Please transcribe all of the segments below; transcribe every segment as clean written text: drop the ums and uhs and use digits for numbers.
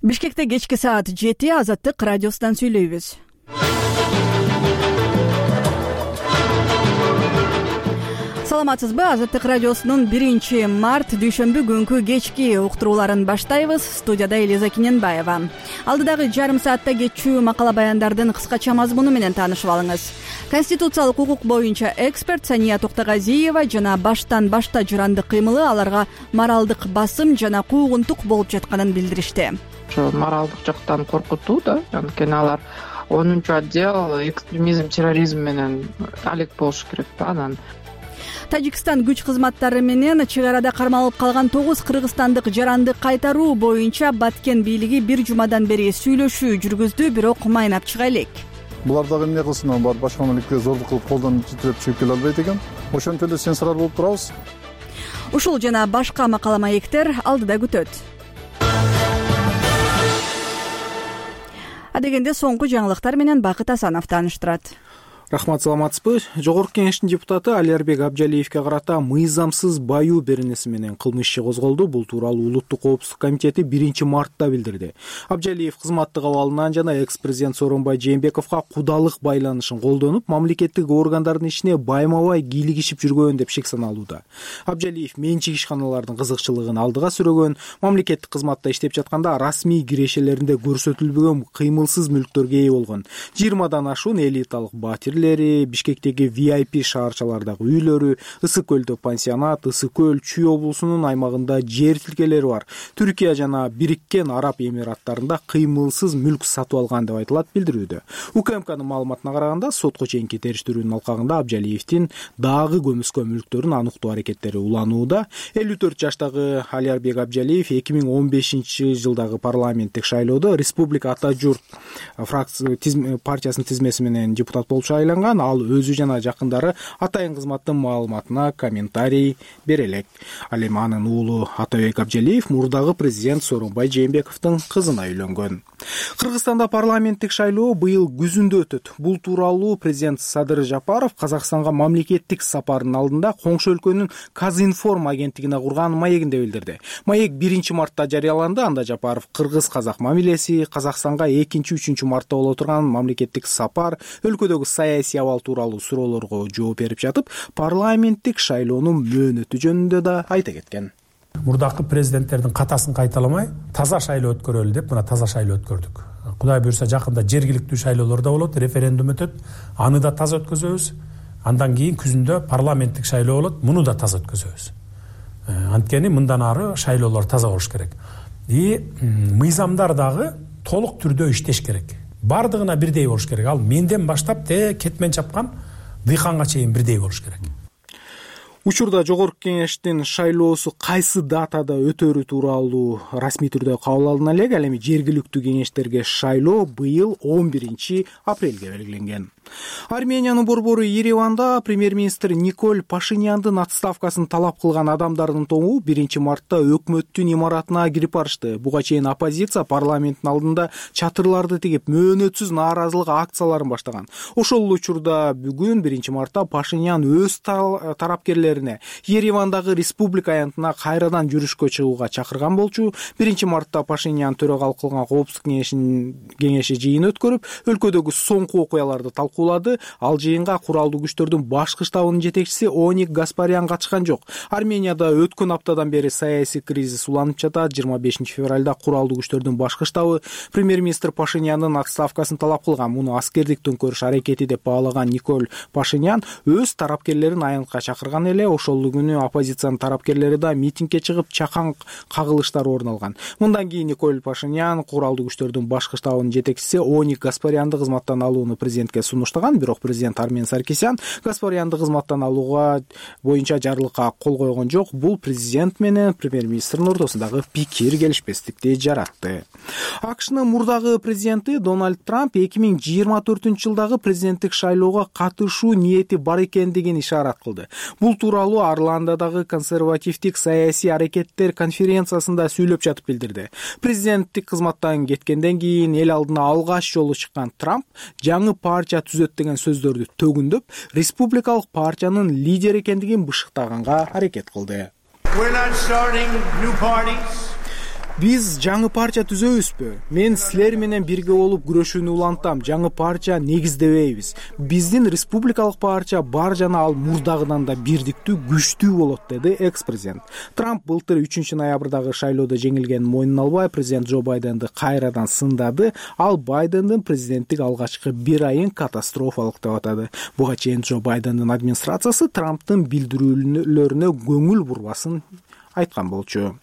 Бишкекте кечки саат 7 Азаттык радиосунан сүйлөйбүз. Саламатсызбы? Азаттык радиосунун 1-март дүйшөмбү күнкү кечки уктурууларын баштайбыз. Студияда Элиза Киненбаева. Алдыдагы жарым саатта кетчү макала баяндардын кыскача мазмуну менен таанышып алыңыз. Конституциялык укук боюнча эксперт Сания Токтогазиева жана баштан башта жырандык кыймылы аларга моралдык басым жана куугунтук болуп жатканын билдиришти. Моралдык жактан коркутуу да, анткени алар 10-чу отдел экстремизм, терроризм менен алек болуш керек да. Анан Тажикстан күч кызматтары менен чек арада кармалып калган 9 кыргызстандык жаранды кайтаруу боюнча Баткен бийлиги бир жумадан бери сүйлөшүү жүргүздү, бирок майнап чыга элек. Булар дагы эмне кылсын, бар башка мамлекетке зордук кылып колдон жетиреп чыгып келе албайт экен. Ошентип эле сенсорар болуп турабыз. Ушул жана башка макала маектер алдыда күтөт. Адегенде соңку жаңылыктар менен Бакыт Асанов тааныштырат. Рахмат, саламатсызбы? Жогорку кеңештин депутаты Алиарбек Абжалиевке карата мыйзамсыз баюу беренеси менен кылмыш иши козголду. Бул тууралуу Улуттук коопсуздук комитети 1-мартта билдирди. Абжалиев кызматтык абалынан жана экс-президент Сооронбай Жээнбековго кудалык байланышын колдонуп, мамлекеттик органдардын ишине байма-бай кийлигишип жүргөн деп шек саналууда. Абжалиев менчик ишканалардын кызыкчылыгын алдыга сүрөгөн, мамлекеттик кызматта иштеп жатканда расмий кирешелеринде көрсөтүлбөгөн кыймылсыз мүлктөргө ээ болгон. 20дан ашуун элиталык батир, Бишкектеги VIP шаарчалардагы үйлөрү, Ысык көлдө пансионат, Ысык көл Чүй облусунун аймагында жер тилкелери бар. Түркия жана Бириккен Араб Эмираттарында кыймылсыз мүлк сатып алган деп айтылат билдирүүдө. УКМКнын маалыматына караганда, сотко чейинки териштирүүнүн алкагында Абжалиевдин дагы көмүскө мүлктөрүн ануктоо аракеттери уланууда. 54 жаштагы Алиарбек Абжалиев 2015-жылдагы парламенттик шайлоодо Республика Ата журт партиясынын тизмеси менен депутат болуп шайланган. Ал өзү жана жакындары атайын кызматтын маалыматына комментарий бере элек. Ал эми анын уулу Атабек Абжалиев мурдагы президент Сооронбай Жээнбековдун кызына үйлөнгөн. Кыргызстанда парламенттик шайлоо быйыл күзүндө өтөт. Бул тууралуу президент Садыр Жапаров Казакстанга мамлекеттик сапарынын алдында коңшу өлкөнүн Казинформ агенттигине курган маегинде билдирди. Маек 1-мартта жарыяланды. Анда Жапаров кыргыз-казак мамилеси, Казакстанга 2-3 мартта боло турган мамлекеттик сапар, өлкөдөгү саясий абал тууралуу суроолорго жооп берип жатып, парламенттик шайлоонун мөөнөтү жөнүндө да айта кеткен. Мурдакы президенттердин катасын кайталамай таза шайлоо өткөрөлү деп мына таза шайлоо өткөрдүк. Кудай буйрса жакында жергиликтүү шайлоолор да болот, референдум өтөт, аны да таза өткөзөбүз. Андан кийин күзүндө парламенттик шайлоо болот, муну да таза өткөзөбүз. Анткени мындан ары шайлоолор таза болуш керек. Мыйзамдар дагы толук түрдө иштеш керек. Бардыгына бирдей болуш керек. Ал менден баштап кетмен чапкан дыйканга чейин бирдей болуш керек. Учурда жогорку кеңештин шайлоосу кайсы датада өтөрү тууралуу расмий түрдө кабыл алына элек. Ал эми жергиликтүү кеңештерге шайлоо быйыл 11-апрелге белгиленген. Армениянын борбору Ереванда премьер-министр Николь Пашиняндын отставкасын талап кылган адамдардын тобу 1-мартта өкмөттүн имаратына кирип барышты. Буга чейин оппозиция парламенттин алдында чатырларды тигип мөөнөтсүз нааразылык акцияларын баштаган. Ошол учурда бүгүн 1-мартта Пашинян өз тарапкерлерине Еревандагы республика аянтына кайрадан жүрүшкө чыгууга чакырган болчу. 1-мартта Пашинян төрөгалык кылган коопсуздук кеңеши жыйын өткөрүп, өлкөдөгү соңку окуяларды талкуулады. Ал жыйынга куралдуу күчтөрдүн башкы штабынын жетекчиси Оник Гаспарян катышкан жок. Арменияда өткөн аптадан бери саясий кризис уланып жатат. 25-февралда куралдуу күчтөрдүн башкы штабы премьер-министр Пашинянын отставкасын талап кылган. Муну аскердик төңкөрүш аракети деп баалаган Николь Пашинян өз тарапкерлерин аянтка чакырган эле. Ошол күнү оппозициянын тарапкерлери да митингге чыгып, чакан кагылыштар орун алган. Мындан кийин Николь Пашинян куралдуу күчтөрдүн башкы штабынын жетекчиси Оник Гаспарянды кызматтан алууну президентке сунуштаган. Бирок президент Армен Саркисян Гаспарянды кызматтан алууга боюнча жарлыкка кол койгон жок. Бул президент менен премьер-министрдин ортосундагы пикир келишпестикти жаратты. АКШнын мурдагы президенти Дональд Трамп 2024-жылдагы президенттик шайлоого катышуу ниети бар экендигин ишарат кылды. Бул тууралуу Орландодагы консервативдик саясий аракеттер конференциясында сүйлөп жатып билдирди. Президенттик кызматтан кеткенден кийин эл алдына алгач жолу чыккан Трамп жаңы партия түзөт деген сөздөрдү төгүндөп, республикалык партиянын лидер экендигин бышыктаганга аракет кылды. Биз жаңы партия түзөбүзбү? Мен силер менен бирге болуп күрөшүүнү улантам. Жаңы партия негиздебейбиз. Биздин республикалык партия бар жана ал мурдагыдан да бирдиктүү, күчтүү болот, деди экс-президент. Трамп былтыр 3-ноябрдагы шайлоодо жеңилгенин мойнуна албай, президент Джо Байденди кайрадан сындады. Ал Байдендин президенттик алгачкы 1 айын катастрофалык деп атады. Буга чейин Джо Байдендин администрациясы Трамптын билдирүүлөрүнө көңүл бурбасын айткан болчу.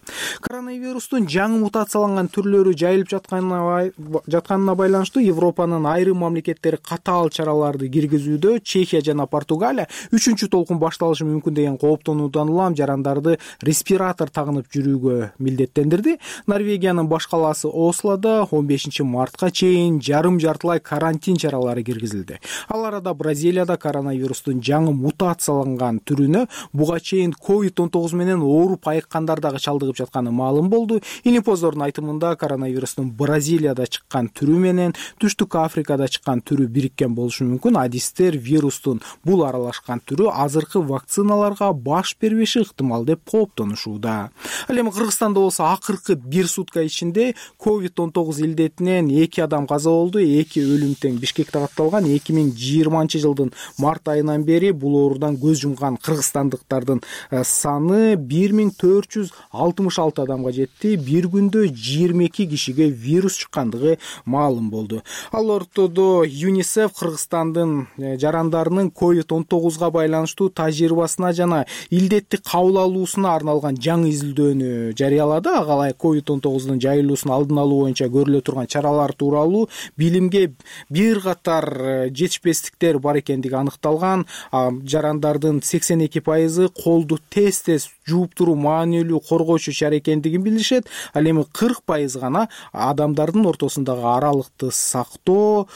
Коронавирустун жаңы мутацияланган түрлөрү жайылып жатканына байланыштуу Европанын айрым мамлекеттери катаал чараларды киргизүүдө. Чехия жана Португалия 3-чү толкун башталышы мүмкүн деген кооптонуудан улам жарандарды респиратор тагынып жүрүүгө милдеттендирди. Норвегиянын баш калаасы Ослодо 15 мартка чейин жарым-жартылай карантин чаралары киргизилди. Ал арада Бразилияда коронавирустун жаңы мутацияланган түрүнө буга чейин COVID-19 менен ооруп айыккандар дагы чалдыгып жатканы маалым болду. Илимпоздордун айтымында коронавирустун Бразилияда чыккан түрү менен Түштүк Африкада чыккан түрү бириккен болушу мүмкүн. Адистер вирустун бул аралашкан түрү азыркы вакциналарга баш бербеши ыктымал деп кооптонушууда. Ал эми Кыргызстанда болсо акыркы 1 сутка ичинде COVID-19 илдетинен 2 адам каза болду, 2 өлүм тең Бишкекте катталган. 2020 жылдын март айынан бери бул оорудан көз жумган кыргызстандыктардын саны 1466 адамга жетти. Бир күндө 22 кишиге вирус чыккандыгы маалым болду. Ал ортодо ЮНИСЕФ Кыргызстандын жарандарынын COVID-19 байланыштуу тажрыйбасына жана илдетти кабыл алуусуна арналган жаңы изилдөөнү жарыялады. Ага ылайык COVID-19 жайылуусун алдын алуу боюнча көрүлө турган чаралар тууралуу билимге бир катар жетишпестиктер бар экендиги аныкталган. Жарандардын 82% колду тез жууп туруу маанилүү коргоочу шаар экендигин билишет. Ал эми 40% гана адамдардын ортосундагы аралыкты сактоо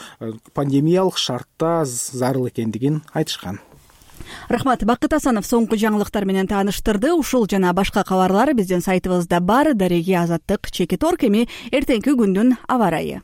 пандемиялык шартта зарыл экендигин айтышкан. Рахмат. Бакыт Асанов соңку жаңылыктар менен тааныштырды. Ушул жана башка кабарлар биздин сайтыбызда бар. Дареги Азаттык, Чекит Орг. Эми эртеңки күндүн аба ырайы.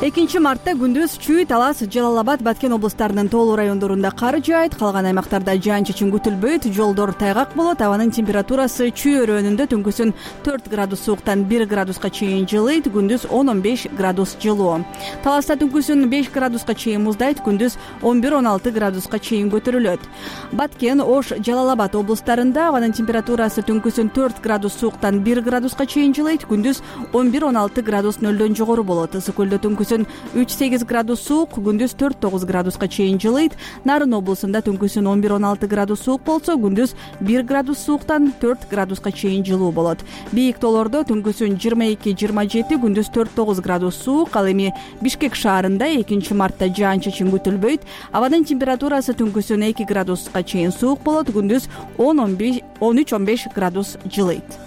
2 мартта күндүз Чүй, Талас, Жалал Абад, Баткен облустарынын тоолуу райондорунда кар жаайт. Калган аймактарда жаан-чачын күтүлбөйт. Жолдор тайгак болот. Абанын температурасы Чүй өрөөнүндө түнкүсүн 4 градус сууктан 1 градуска чейин жылыйт. Күндүз 10-15 градус жылуу. Таласта түнкүсүн 5 градуска чейин муздайт. Күндүз 11-16 градуска чейин көтөрүлөт. Баткен, Ош, Жалал Абад облустарында абанын температурасы түнкүсүн 4 градус сууктан 1 градуска чейин жылыйт. Күндүз 11-16 градус нөлдөн жогору болот. Ысык көлдө түнкүсүн 3-8 градус суук, күндүз 4-9 градуска чейин жылыйт. Нарын облусунда түнкүсүн 11-16 градус суук болсо, күндүз 1 градус сууктан 4 градуска чейин жылуу болот. Бийик тоолордо түнкүсүн 22-27, күндүз 4-9 градус суук. Ал эми Бишкек шаарында 2 мартта жаан-чачын күтүлбөйт. Абанын температурасы түнкүсүн 2 градуска чейин суук болот, күндүз 13-15 градус жылыйт.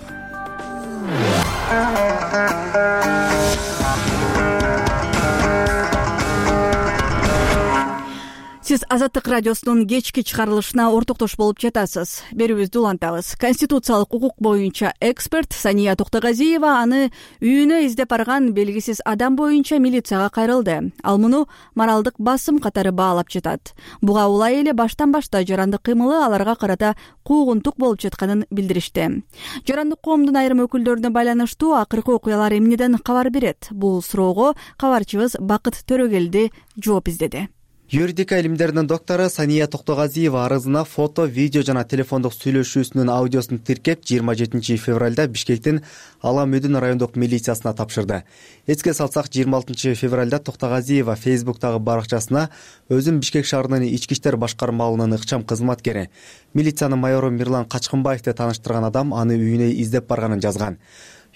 Сиз Азаттык радиосунун кечки чыгарылышына ортоктош болуп жатасыз. Берүүбүздү улантабыз. Конституциялык укук боюнча эксперт Сания Токтогазиева аны үйүнө издеп барган белгисиз адам боюнча милицияга кайрылды. Ал муну моралдык басым катары баалап жатат. Буга улай эле баштан-башта жарандык кыймылы аларга карата куугунтук болуп жатканын билдиришти. Жарандык коомдун айрым өкүлдөрүнө байланыштуу акыркы окуялар эмнеден кабар берет? Бул суроого кабарчыбыз Бакыт Төрөгелди жооп издеди. Юридика илимдеринин доктору Сания Токтогазиева арызына фото, видео жана телефондук сүйлөшүүсүнүн аудиосун тиркеп 27 февралда Бишкектин Ала-Мөдүн райондук милициясына тапшырды. Эске салсак, 26 февралда Токтогазиева Фейсбуктагы баракчасына өзүн Бишкек шаарынын ички иштер башкармалыгынын ыкчам кызматкери, милициянын майору Мирлан Качкынбаевди тааныштырган адам аны үйүнө издеп барганын жазган.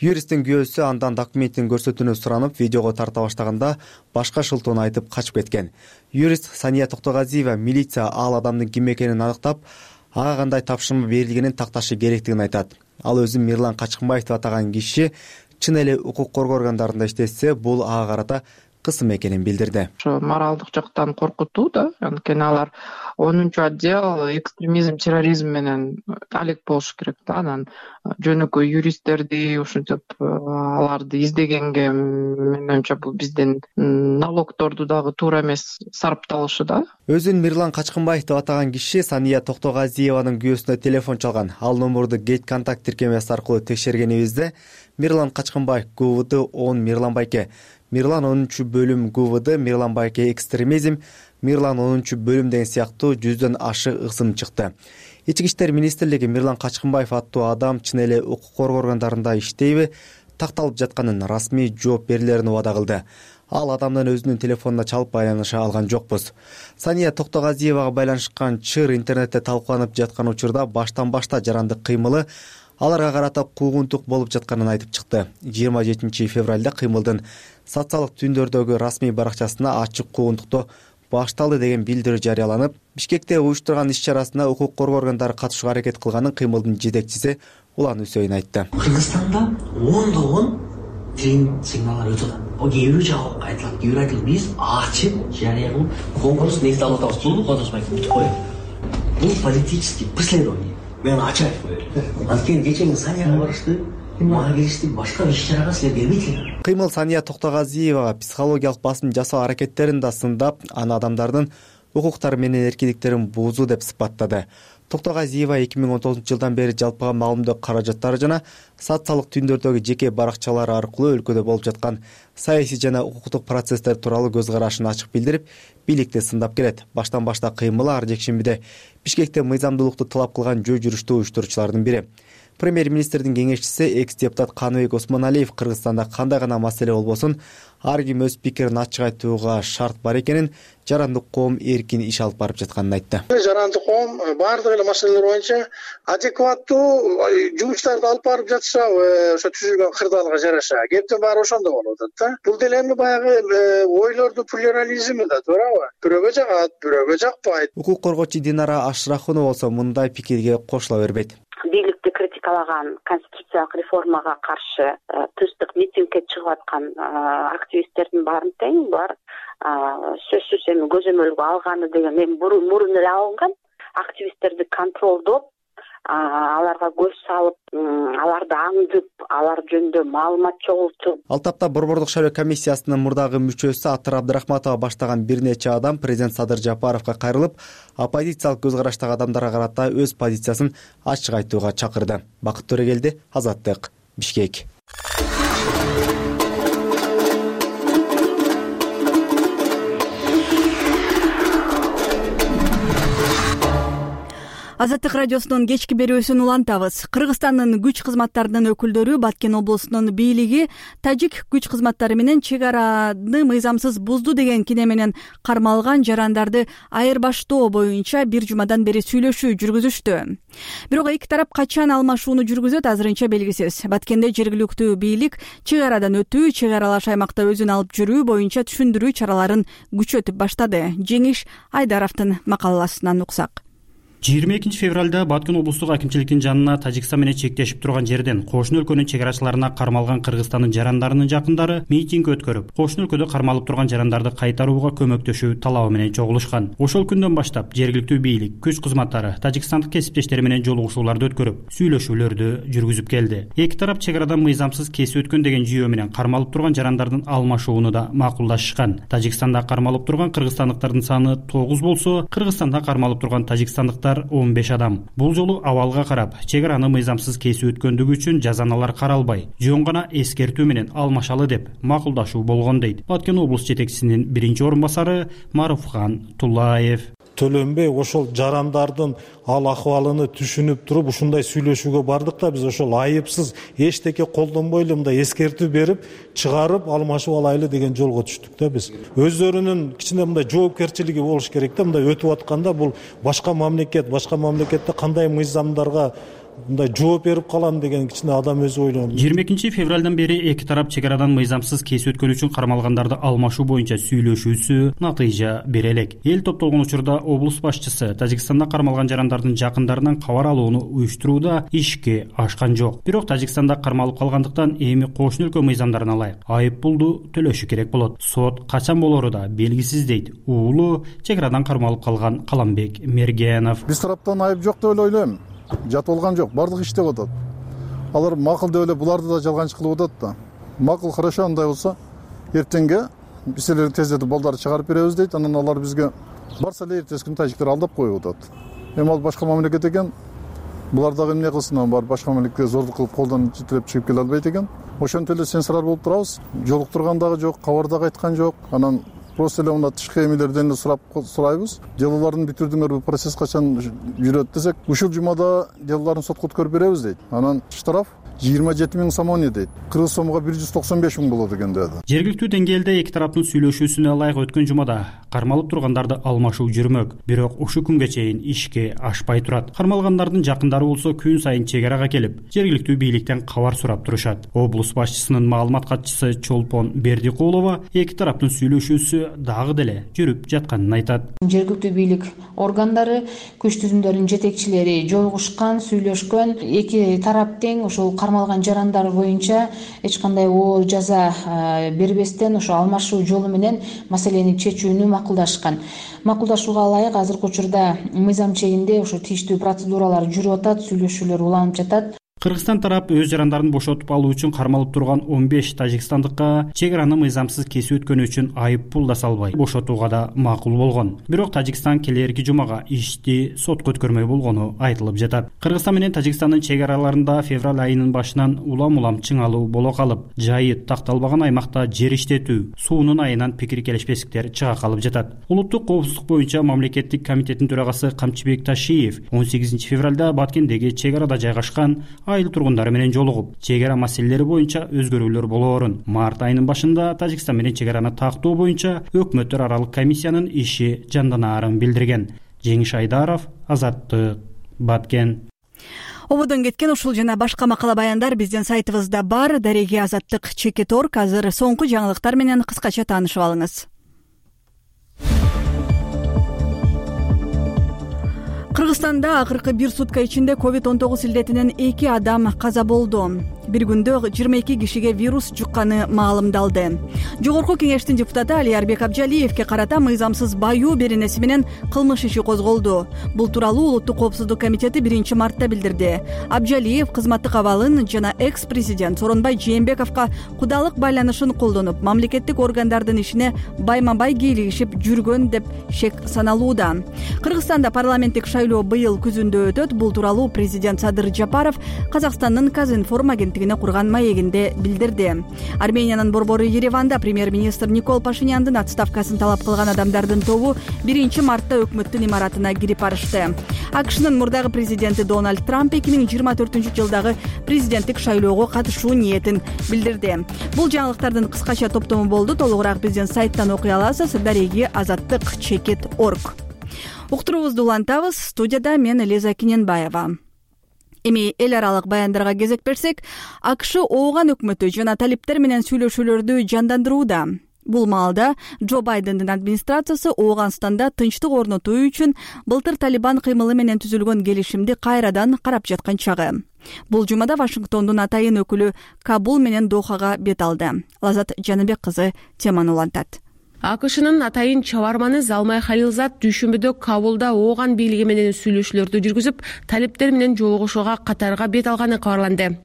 Юристтин күбөсү андан документтин көрсөтүүнү суранып, видеого тарта баштаганда башка шылтоону айтып качып кеткен. Юрист Сания Токтогазиева милиция ал адамдын ким экенин аныктап, ага кандай тапшырма берилгенин такташы керектигин айтат. Ал өзүн Мирлан Качкынбаев деп атаган киши чын эле укук коргоо органдарында иштесе, бул ага карата кысым экенин билдирди. Ошо моралдык жактан коркутуу да, анткени алар 10 отдел экстремизм, терроризм менен алек болуш керек да. Анан жөнөкөй юристтерди ушинтип аларды издегенге менин оюмча бул биздин налогторду дагы туура эмес сарпталышы да. Өзүн Мирлан Качкынбаев деп атаган киши Сания Токтогазиеванын күйөөсүнө телефон чалган. Ал номурду Gate контакт тиркемеси аркылуу текшергенибизде Мирлан Качкынбаев ГУВД 10 Мирлан Байке, Мирлан 10-бөлүм ГУВД Мирлан Байке экстремизм, Мирлан 10-бөлүм деген сыяктуу 100дөн ашык ысым чыкты. Ички иштер министрлиги Мирлан Качкынбаев аттуу адам чын эле укук коргоо органдарында иштейби, такталып жатканын расмий жооп берилерин убада кылды. Ал адамдан өзүнүн телефонуна чалып байланыша алган жокпуз. Сания Токтогазиевага байланышкан чыр интернетте талкууланып жаткан учурда баштан-башта жарандык кыймылы аларга карата куугунтук болуп жатканын айтып чыкты. 27 февралда кыймылдын социалдык түндөрдөгү расмий баракчасына ачык куугунтуктоо башталды деген билдирүү жарыяланып, Бишкекте уюштурган иш-чарасына укук коргоо органдары катышууга аракет кылганын кыймылдын жетекчиси Улан Үсөйүн айтты. Кыргызстанда 10 тилин сигналдар өтүп атат. Кээ бирөө жабык айтылат, кээ бирөө айтылат. Биз ачып, жарыя кылып, конкурс негизде алып атабыз. Бул кодосмай бүтүп коет. Бул политический преследование. Мен ачып айтып коеюн. Анткени кечээ Санияга барышты, мага келишти, башка иш-чарага силер келбейсиңер. Кыймыл Сания Токтогазиевага психологиялык басым жасоо аракеттерин да сындап, аны адамдардын укуктары менен эркиндиктерин буузуу деп сыпаттады. Токтогазиева 2019 жылдан бери жалпыга маалымдоо каражаттары жана социалдык түндөрдөгү жеке баракчалары аркылуу өлкөдө болуп жаткан саясий жана укуктук процесстер тууралуу көз карашын ачык билдирип, бийликти сындап келет. Баштан-башта кыймылы ар жекшембиде Бишкекте мыйзамдуулукту талап кылган жөө жүрүштү уюштуруучулардын бири. Премьер-министрдин кеңешчиси экс-депутат Каныбек Осмоналиев Кыргызстанда кандай гана маселе болбосун, ар ким өз пикирин ачык айтууга шарт бар экенин, жарандык коом эркин иш алып барып жатканын айтты. Жарандык коом баардык эле маселелер боюнча адекваттуу жумуштарды алып барып жатса, ошо түзүлгөн кырдаалга жараша, кептин баары ошондо болуп атат да. Бул деле эми баягы ойлордун плюрализми да, туурабы? Бирөөгө жагат, бирөөгө жакпайт. Укук коргоочу Динара Ашрахунова болсо мындай пикирге кошула бербейт. Бийликти критикалаган конституциялык реформага каршы тынчтык митингге чыгып аткан активисттердин баарын тең булар сөзсүз эми көзөмөлгө алганы деген эми мурун эле алынган. Активисттерди контролдоп, аларга көз салып, аларды аңдып, алар жөнүндө маалымат чогултуп. Ал тапта Борбордук шайлоо комиссиясынын мурдагы мүчөсү Атыр Абдрахматова баштаган бир нече адам президент Садыр Жапаровго кайрылып, оппозициялык көз караштагы адамдарга карата өз позициясын ачык айтууга чакырды. Бакыт Төрегелди, Азаттык, Бишкек. Азаттык радиосунун кечки берүүсүн улантабыз. Кыргызстандын күч кызматтарынын өкүлдөрү Баткен облусунун бийлиги тажик күч кызматтары менен чек араны мыйзамсыз бузду деген кине менен кармалган жарандарды айырбаштоо боюнча бир жумадан бери сүйлөшүү жүргүзүштү. Бирок эки тарап качан алмашууну жүргүзөт азырынча белгисиз. Баткенде жергиликтүү бийлик чек арадан өтүү, чек аралаш аймакта өзүн алып жүрүү боюнча түшүндүрүү чараларын күчөтүп баштады. Жеңиш Айдаровдун макаласынан уксак. 22 февралда Баткен облустук акимчиликтин жанына Тажикстан менен чектешип турган жерден кошуна өлкөнүн чек арачыларына кармалган Кыргызстандын жарандарынын жакындары митинг өткөрүп, кошуна өлкөдө кармалып турган жарандарды кайтарууга көмөктөшүү талабы менен чогулушкан. Ошол күндөн баштап жергиликтүү бийлик, күч кызматтары Тажикстандык кесиптештери менен жолугушууларды өткөрүп, сүйлөшүүлөрдү жүргүзүп келди. Эки тарап чек арадан мыйзамсыз кесип өткөн деген жүйө менен кармалып турган жарандардын алмашууну да макулдашышкан. Тажикстанда кармалып турган кыргызстандыктардын саны 9 болсо, Кыргызстанда кармалып турган тажикстандыктар 15 адам. Бул жолу абалга карап, чек араны мыйзамсыз кесип өткөндүгү үчүн жазаналар каралбай, жөн гана эскертүү менен алмашалы деп макулдашуу болгон дейт Баткен облус жетекчисинин биринчи орун басары Маруфхан Туллаев. Төлөнбөй ошол жарандардын ал акыбалыны түшүнүп туруп ушундай сүйлөшүүгө бардык да биз ошол айыпсыз эчтеке колдонбойлу мындай эскертүү берип чыгарып алмашып алайлы деген жолго түштүк да биз. Өздөрүнүн кичине мындай жоопкерчилиги болуш керек да, мындай өтүп атканда бул башка мамлекетте кандай мыйзамдарга мындай жооп берип калам деген кичине адам өзү ойлонду. 22 февралдан бери эки тарап чек арадан мыйзамсыз кесип өткөн үчүн кармалгандарды алмашуу боюнча сүйлөшүүсү натыйжа бере элек. Эл топтолгон учурда облус башчысы Тажикстанда кармалган жарандардын жакындарынан кабар алууну уюштурууда ишке ашкан жок. Бирок Тажикстанда кармалып калгандыктан эми кошуна өлкө мыйзамдарына ылайык айып пулду төлөшү керек болот. Сот качан болору да белгисиз дейт уулу чек арадан кармалып калган Каламбек Мергенов. Биз тараптан айып жок деп ойлойм. Жат болгон жок, бардык иштеп атат. Алар макул деп эле буларды да жалганчы кылып атат да. Макул, хорошо, андай болсо эртеңге биз эле тездетип балдарды чыгарып беребиз дейт. Анан алар бизге барса эле эртеси күнү тажиктер алдап коюп атат. Эми ал башка мамлекет экен. Булар дагы эмне кылсын, бар башка мамлекетке зордук кылып колдон жетелеп чыгып келе албайт экен. Ошентип эле сенсорар болуп турабыз. Жолуктурган дагы жок, кабар дагы айткан жок. Анан просто эле мына тышкы эмелерден эле сурайбыз. Делолорун бүтүрдүңөрбү, процесс качан жүрөт десек, ушул жумада делолорун сотко өткөрүп беребиз дейт. Анан штраф 27 000 сомони дейт. Кыргыз сомго 195 000 болот экен деді. Жергиликтүү деңгээлде эки тараптын сүйлөшүүсүнө ылайык өткөн жумада кармалып тургандарды алмашуу жүрмөк, бирок ушул күнгө чейин ишке ашпай турат. Кармалгандардын жакындары болсо күн сайын чек арага келип, жергиликтүү бийликтен кабар сурап турушат. Облус башчысынын маалымат катчысы Чолпон Бердикулова эки тараптын сүйлөшүүсү дагы деле жүрүп жатканын айтат. Жергиликтүү бийлик органдары, күч түзүмдөрүнүн жетекчилери жолугушкан, сүйлөшкөн, эки тарап тең ошол кармалган жарандар боюнча эч кандай оор жаза бербестен ошо алмашуу жолу менен маселени чечүүнү макулдашкан. Макулдашууга ылайык азыркы учурда мыйзам чегинде ошо тийиштүү процедуралар жүрүп атат, сүйлөшүүлөр уланып жатат. Кыргызстан тарап өз жарандарын бошотуп алуу үчүн кармалып турган 15 тажикстандыкка чек араны мыйзамсыз кесип өткөнү үчүн айып пул да салбай бошотууга да макул болгон. Бирок Тажикстан келерки жумага ишти сотко өткөрмөй болгону айтылып жатат. Кыргызстан менен Тажикстандын чек араларында февраль айынын башынан улам чыңалуу боло калып, жайы такталбаган аймакта жер иштетүү, суунун айынан пикир келишпестиктер чыга калып жатат. Улуттук коопсуздук боюнча мамлекеттик комитеттин төрагасы Камчыбек Ташиев 18 февралда Баткендеги чек арада жайгашкан айыл тургундары менен жолугуп, чек ара маселелери боюнча өзгөрүүлөр болоорун, март айынын башында Тажикстан менен чек араны тактоо боюнча өкмөттөр аралык комиссиянын иши жанданаарын билдирген. Жеңиш Айдаров, Азаттык, Баткен. Ободон кеткен ушул жана башка макала баяндар биздин сайтыбызда бар. Дареги Азаттык Чекет.org. Азыр соңку жаңылыктар менен кыскача таанышып алыңыз. Кыргызстанда акыркы бир сутка ичинде COVID-19 илдетинен 2 адам каза болду. Bir күндө 22 кишиге вирус жукканы маалымдалды. Жогорку кеңештин депутаты Алиярбек Абжалиевке карата мыйзамсыз баюу беренеси менен кылмыш иши козголду. Бул тууралуу Улуттук коопсуздук комитети 1 мартта билдирди. Абжалиев кызматтык абалын жана экс-президент Сооронбай Жээнбековго кудалык байланышын колдонуп, мамлекеттик органдардын ишине байма-бай кийлигишип жүргөн деп шек саналууда. Кыргызстанда парламенттик шайлоо быйыл күзүндө өтөт. Бул тууралуу президент Садыр Жапаров Казакстандын Казинформ агенттигине курган маегинде билдирди. Армениянын борбору Ереванда премьер-министр Никол Пашиняндын отставкасын талап кылган адамдардын тобу 1 мартта өкмөттүн имаратына кирип барышты. АКШнын мурдагы президенти Дональд Трамп 2024-жылдагы президенттик шайлоого катышуу ниетин билдирди. Бул жаңылыктардын кыскача топтому болду. Толугураак биздин сайттан окуй аласыз. Дареги Азаттык Чекет.org. Уктуруубузду улантабыз. Студияда мен Элиза Киненбаева. Эми эл аралык баяндарга кезек берсек, АКШ ооган өкмөтү жана талиптер менен сүйлөшүүлөрдү жандандырууда. Бул маалда Джо Байдендин администрациясы Ооганстанда тынчтык орнотуу үчүн былтыр Талибан кыймылы менен түзүлгөн келишимди кайрадан карап жаткан чагы. Бул жумада Вашингтондун атайын өкүлү Кабул менен Дохага бет алды. Лазат Жаныбек кызы теманы улантат. АКШнын атайын чабарманы Залмай Халилзад дүйшөмбүдө Кабулда Ооган бийлиги менен сүйлөшүүлөрдү жүргүзүп, талиптер менен жолугушууга катарга бет алганы кабарланды.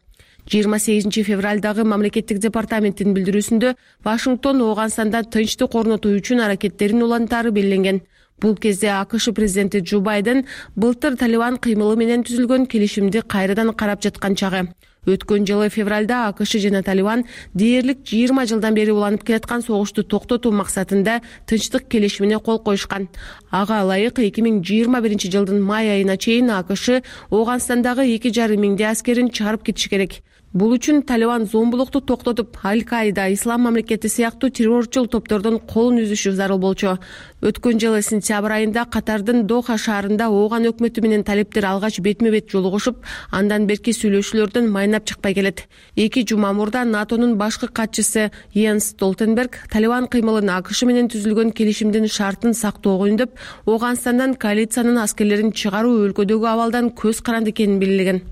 28 февралдагы мамлекеттик департаменттин билдирүүсүндө Вашингтон Ооганстанда тынчтык орнотуу үчүн аракеттерин улантаары белгиленген. Бул кезде АКШ президенти Джо Байден былтыр Талибан кыймылы менен түзүлгөн келишимди кайрадан карап жаткан чагы. Өткөн жылы февралда АКШ жана Талибан дээрлик 20 жылдан бери уланып келаткан согушту токтотуу максатында тынчтык келишимине кол коюшкан. Ага ылайык 2021 жылдын май айына чейин АКШ Ооганстандагы 2,5 миңдей аскерин чыгарып кетиши керек. Бул үчүн Талибан зомбулукту токтотуп, Аль-Каида, Ислам мамлекети сыяктуу террорчул топтордон колун үзүшү зарыл болчу. Өткөн жылы сентябрь айында Катардын Доха шаарында Ооган өкмөтү менен талиптер алгач бетме-бет жолугушуп, андан берки сүйлөшүүлөрдөн майнап чыкпай келет. 2 жума мурда НАТОнун башкы катчысы Йенс Столтенберг Талибан кыймылын АКШ менен түзүлгөн келишимдин шартын сактоого үндөп, Ооганстандан коалициянын аскерлерин чыгаруу өлкөдөгү абалдан көз каранды экенин белгилеген.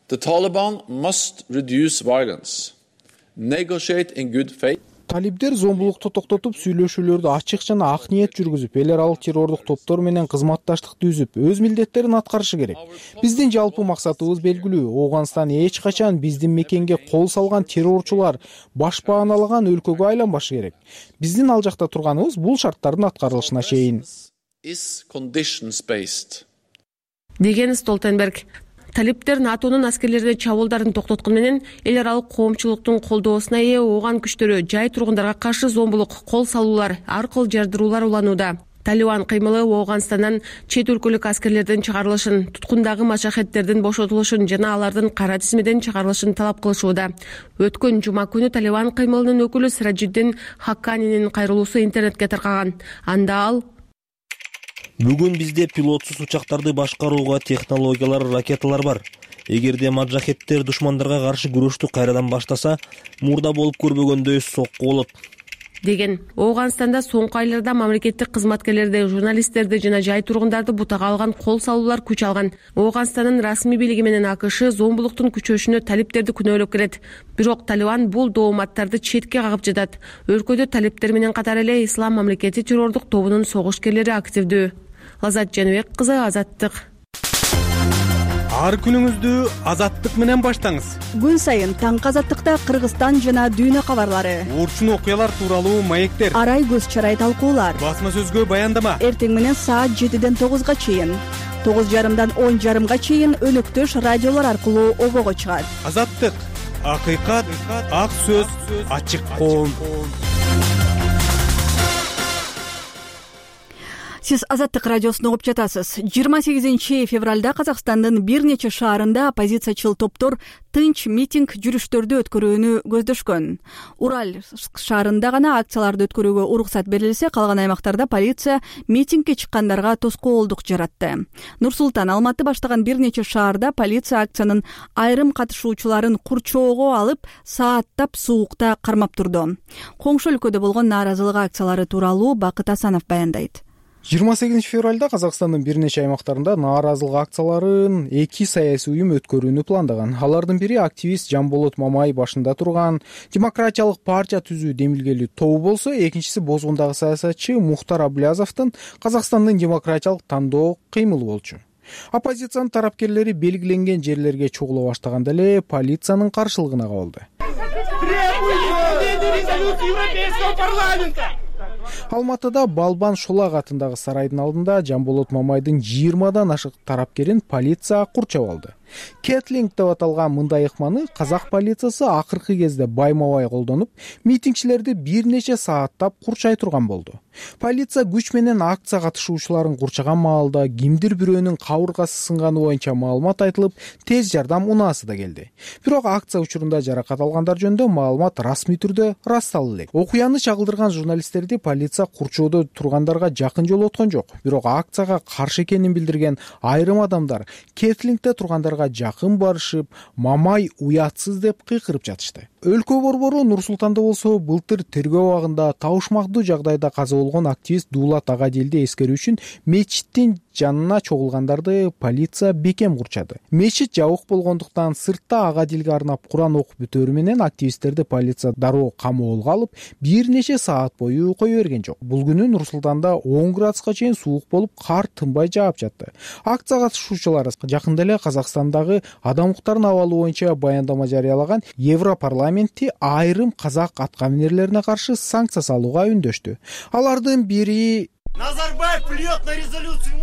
The Taliban must reduce violence, negotiate in good faith. Талибдер зомбулукту токтотуп, сүйлөшүүлөрдү ачык жана ак ниет жүргүзүп, эл аралык террордук топтор менен кызматташтыкты үзүп, өз милдеттерин аткарышы керек. Биздин жалпы максатыбыз белгилүү. Ооганстан эч качан биздин мекенге кол салган террорчулар башпааналаган өлкөгө айланбашы керек. Биздин ал жакта турганыбыз бул шарттардын аткарылышына чейин. Деген Столтенберг. Талиптер НАТОнун аскерлерине чабуулдарын токтоткон менен эл аралык коомчулуктун колдоосуна ээ Ооган күчтөрү жай тургундарга каршы зомбулук, кол салуулар, аркыл жардыруулар уланууда. Талибан кыймылы Ооганстандан чет өлкөлүк аскерлердин чыгарылышын, туткундагы мачахеттердин бошотулушун жана алардын кара тизмеден чыгарылышын талап кылышууда. Өткөн жума күнү Талибан кыймылынын өкүлү Сираджиддин Хакканинин кайрылуусу интернетке таркаган. Анда ал: Бүгүн бизде пилотсуз учактарды башкарууга технологиялар, ракеталар бар. Эгерде маджахеттер душмандарга каршы күрөштү кайрадан баштаса, мурда болуп көрбөгөндөй сокку болот. Деген. Ооганстанда соңку айларда мамлекеттик кызматкерлерди, журналисттерди жана жай тургундарды бутага алган кол салуулар күч алган. Ооганстандын расмий бийлиги менен АКШ зомбулуктун күчөшүнө талиптерди күнөөлөп келет. Бирок Талибан бул дооматтарды четке кагып жатат. Өлкөдө талиптер менен катар эле Ислам мамлекети террордук тобунун согушкерлери активдүү. Лазат Жаныбек кызы, Азаттык. Ар күнүңүздү Азаттык менен баштаңыз. Күн сайын таңкы Азаттыкта Кыргызстан жана дүйнө кабарлары, урчун окуялар тууралуу маектер, арай көз чарай талкуулар, басма сөзгө баяндама. Эртең менен саат 7-ден 9-га чейин, 9:30-дан 10:30-га чейин өнөктөш радиолор аркылуу обого чыгат. Азаттык, акыйкат, ак сөз, ачык коом. Сиз Азаттык радиосун угуп жатасыз. 28 февралда Казакстандын бир нече шаарында оппозициячыл топтор тынч митинг жүрүштөрдү өткөрүүнү көздөшкөн. Урал шаарында гана акцияларды өткөрүүгө уруксат берилсе, калган аймактарда полиция митингге чыккандарга тоскоолдук жаратты. Нур-Султан, Алматы баштаган бир нече шаарда полиция акциянын айрым катышуучуларын курчоого алып, сааттап суукта кармап турду. Коңшу өлкөдө болгон нааразылык акциялары тууралуу Бакыт Асанов баяндайт. 28 февралда Казакстандын бир нече аймактарында нааразылык акцияларын 2 саясий уюм өткөрүүнү пландаган. Алардын бири активист Жамболот Мамай башында турган Демократиялык партия түзүү демилгелүү тобу болсо, экинчиси Бозгундагы саясатчы Мухтар Аблязовдун Казакстандын демократиялык тандоо кыймылы болчу. Оппозициянын тарапкерлери белгиленген жерлерге чогула баштаганда эле полициянын каршылыгына кабылды. Алматыда Балбан Шолак атындагы сарайдын алдында Жамболот Мамайдын 20-дан ашык тарапкерин полиция курчап алды. Кетлинг деп аталган мындай ыкманы казак полициясы акыркы кезде байма-бай колдонуп, митингчилерди бир нече сааттап курчай турган болду. Полиция күч менен акция катышуучуларын курчаган маалда кимдир бирөөнүн кабыргасы сынганы боюнча маалымат айтылып, тез жардам унаасы да келди. Бирок акция учурунда жаракат алгандар жөнүндө маалымат расмий түрдө ырасталды элек. Окуяны чагылдырган журналисттерди полиция курчоодо тургандарга жакын жолоткон жок. Бирок акцияга каршы экенин билдирген айрым адамдар Кетлингде тургандарга жакын барышып, Мамай уятсыз деп кыйкырып жатышты. Өлкө борбору Нур-Султанда болсо, былтыр тергөө убагында табышмактуу жагдайда каза болгон активист Дуулат Агадилди эскерүү үчүн мечиттин жанына чогулгандарды полиция бекем курчады. Мечит жабык болгондуктан сыртта Агадилге арнап Куран окуп бүтөрү менен активисттерди полиция дароо камоолго алып, бир нече саат бою кое берген жок. Бул күнү Нур-Султанда 10 градуска чейин суук болуп, кар тынбай жаап жатты. Акция катышуучулары жакында эле Казакстандагы адам укуктарынын абалы боюнча баяндама жарыялаган Европарламентти айрым казак аткаминерлерине каршы санкция салууга үндөштү. Алардын бири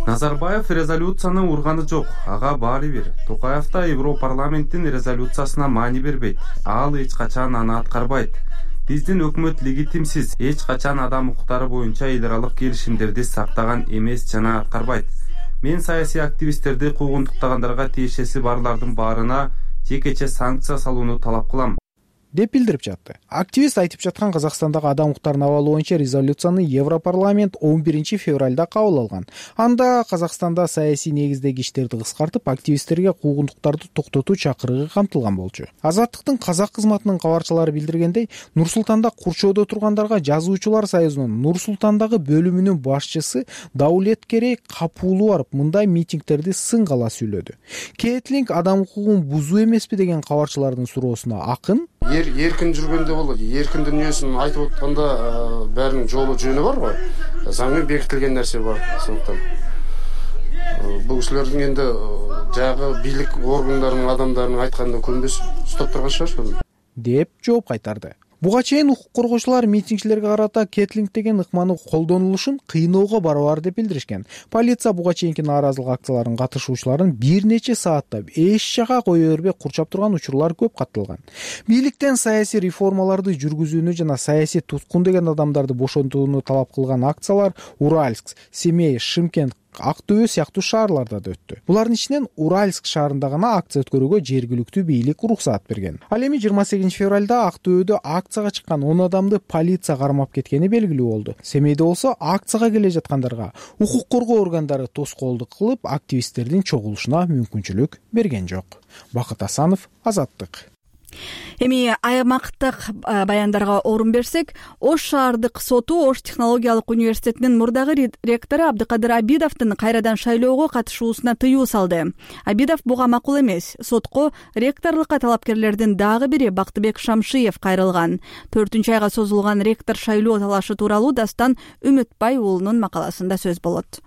Назарбаев резолюцияны урганы жок. Ага баары бир. Токаев да Европарламенттин резолюциясына маани бербейт. Ал эч качан аны аткарбайт. Биздин өкмөт легитимсиз, эч качан адам укуктары боюнча эл аралык келишимдерди сактаган эмес жана аткарбайт. Мен саясий активисттерди куугунтуктагандарга тиешеси барлардын баарына жекече санкция салууну талап кылам деп билдирип жатты. Активист айтып жаткан Казакстандагы адам укуктарын абалы боюнча резолюцияны Европарламент 11 февралда кабыл алган. Анда Казакстанда саясий негиздеги иштерди кыскартып, активисттерге куугунтуктарды токтотуу чакырыгы камтылган болчу. Азаттыктын казак кызматынын кабарчылары билдиргендей, Нур Султанда курчоодо тургандарга Жазуучулар союзунун Нур Султандагы бөлүмүнүн башчысы Даулеткерей Капуулу барып, мындай митингтерди сынгала сүйлөдү. Кетлинг адам укугун бузуу эмеспи деген кабарчылардын суроосуна акын эркин жүргөндө болот. Эркин дүнүйөсүн айтып атканда баарынын жолу жөнү бар го. Заң менен бекитилген нерсе бар. Сондуктан бул кишилердин энди жагы бийлик органдарынын адамдарынын айтканына көнбөс уктап турган шаар деп жооп кайтарды. Буга чейин укук коргоочулар митингчилерге карата кетлинг деген ыкманы колдонулушун кыйноого барабар деп билдиришкен. Полиция буга чейинки нааразылык акцияларынын катышуучуларын бир нече сааттап эч жака кое бербей курчап турган учурлар көп катталган. Бийликтен саясий реформаларды жүргүзүүнү жана саясий туткун деген адамдарды бошотууну талап кылган акциялар Уральск, Семей, Шымкент, Актөбө сыяктуу шаарларда да өттү. Булардын ичинен Уральск шаарында гана акция өткөрүүгө жергиликтүү бийлик уруксаат берген. Ал эми 28 февралда Актөбөдө акцияга чыккан 10 адамды полиция кармап кеткени белгилүү болду. Семейде болсо акцияга келе жаткандарга укук коргоо органдары тоскоолдук кылып, активисттердин чогулушуна мүмкүнчүлүк берген жок. Бакыт Асанов, Азаттык. Эми аймактык баяндарга орун берсек, Ош шаардык соту Ош технологиялык университетинин мурдагы ректору Абдыкадыр Абидовдун кайрадан шайлоого катышуусуна тыюу салды. Абидов буга макул эмес. Сотко ректорлукка талапкерлердин дагы бири Бактыбек Шамшиев кайрылган. 4-айга созулган ректор шайлоо талашы тууралуу Дастан Үмүтбай уулунун макаласында сөз болот.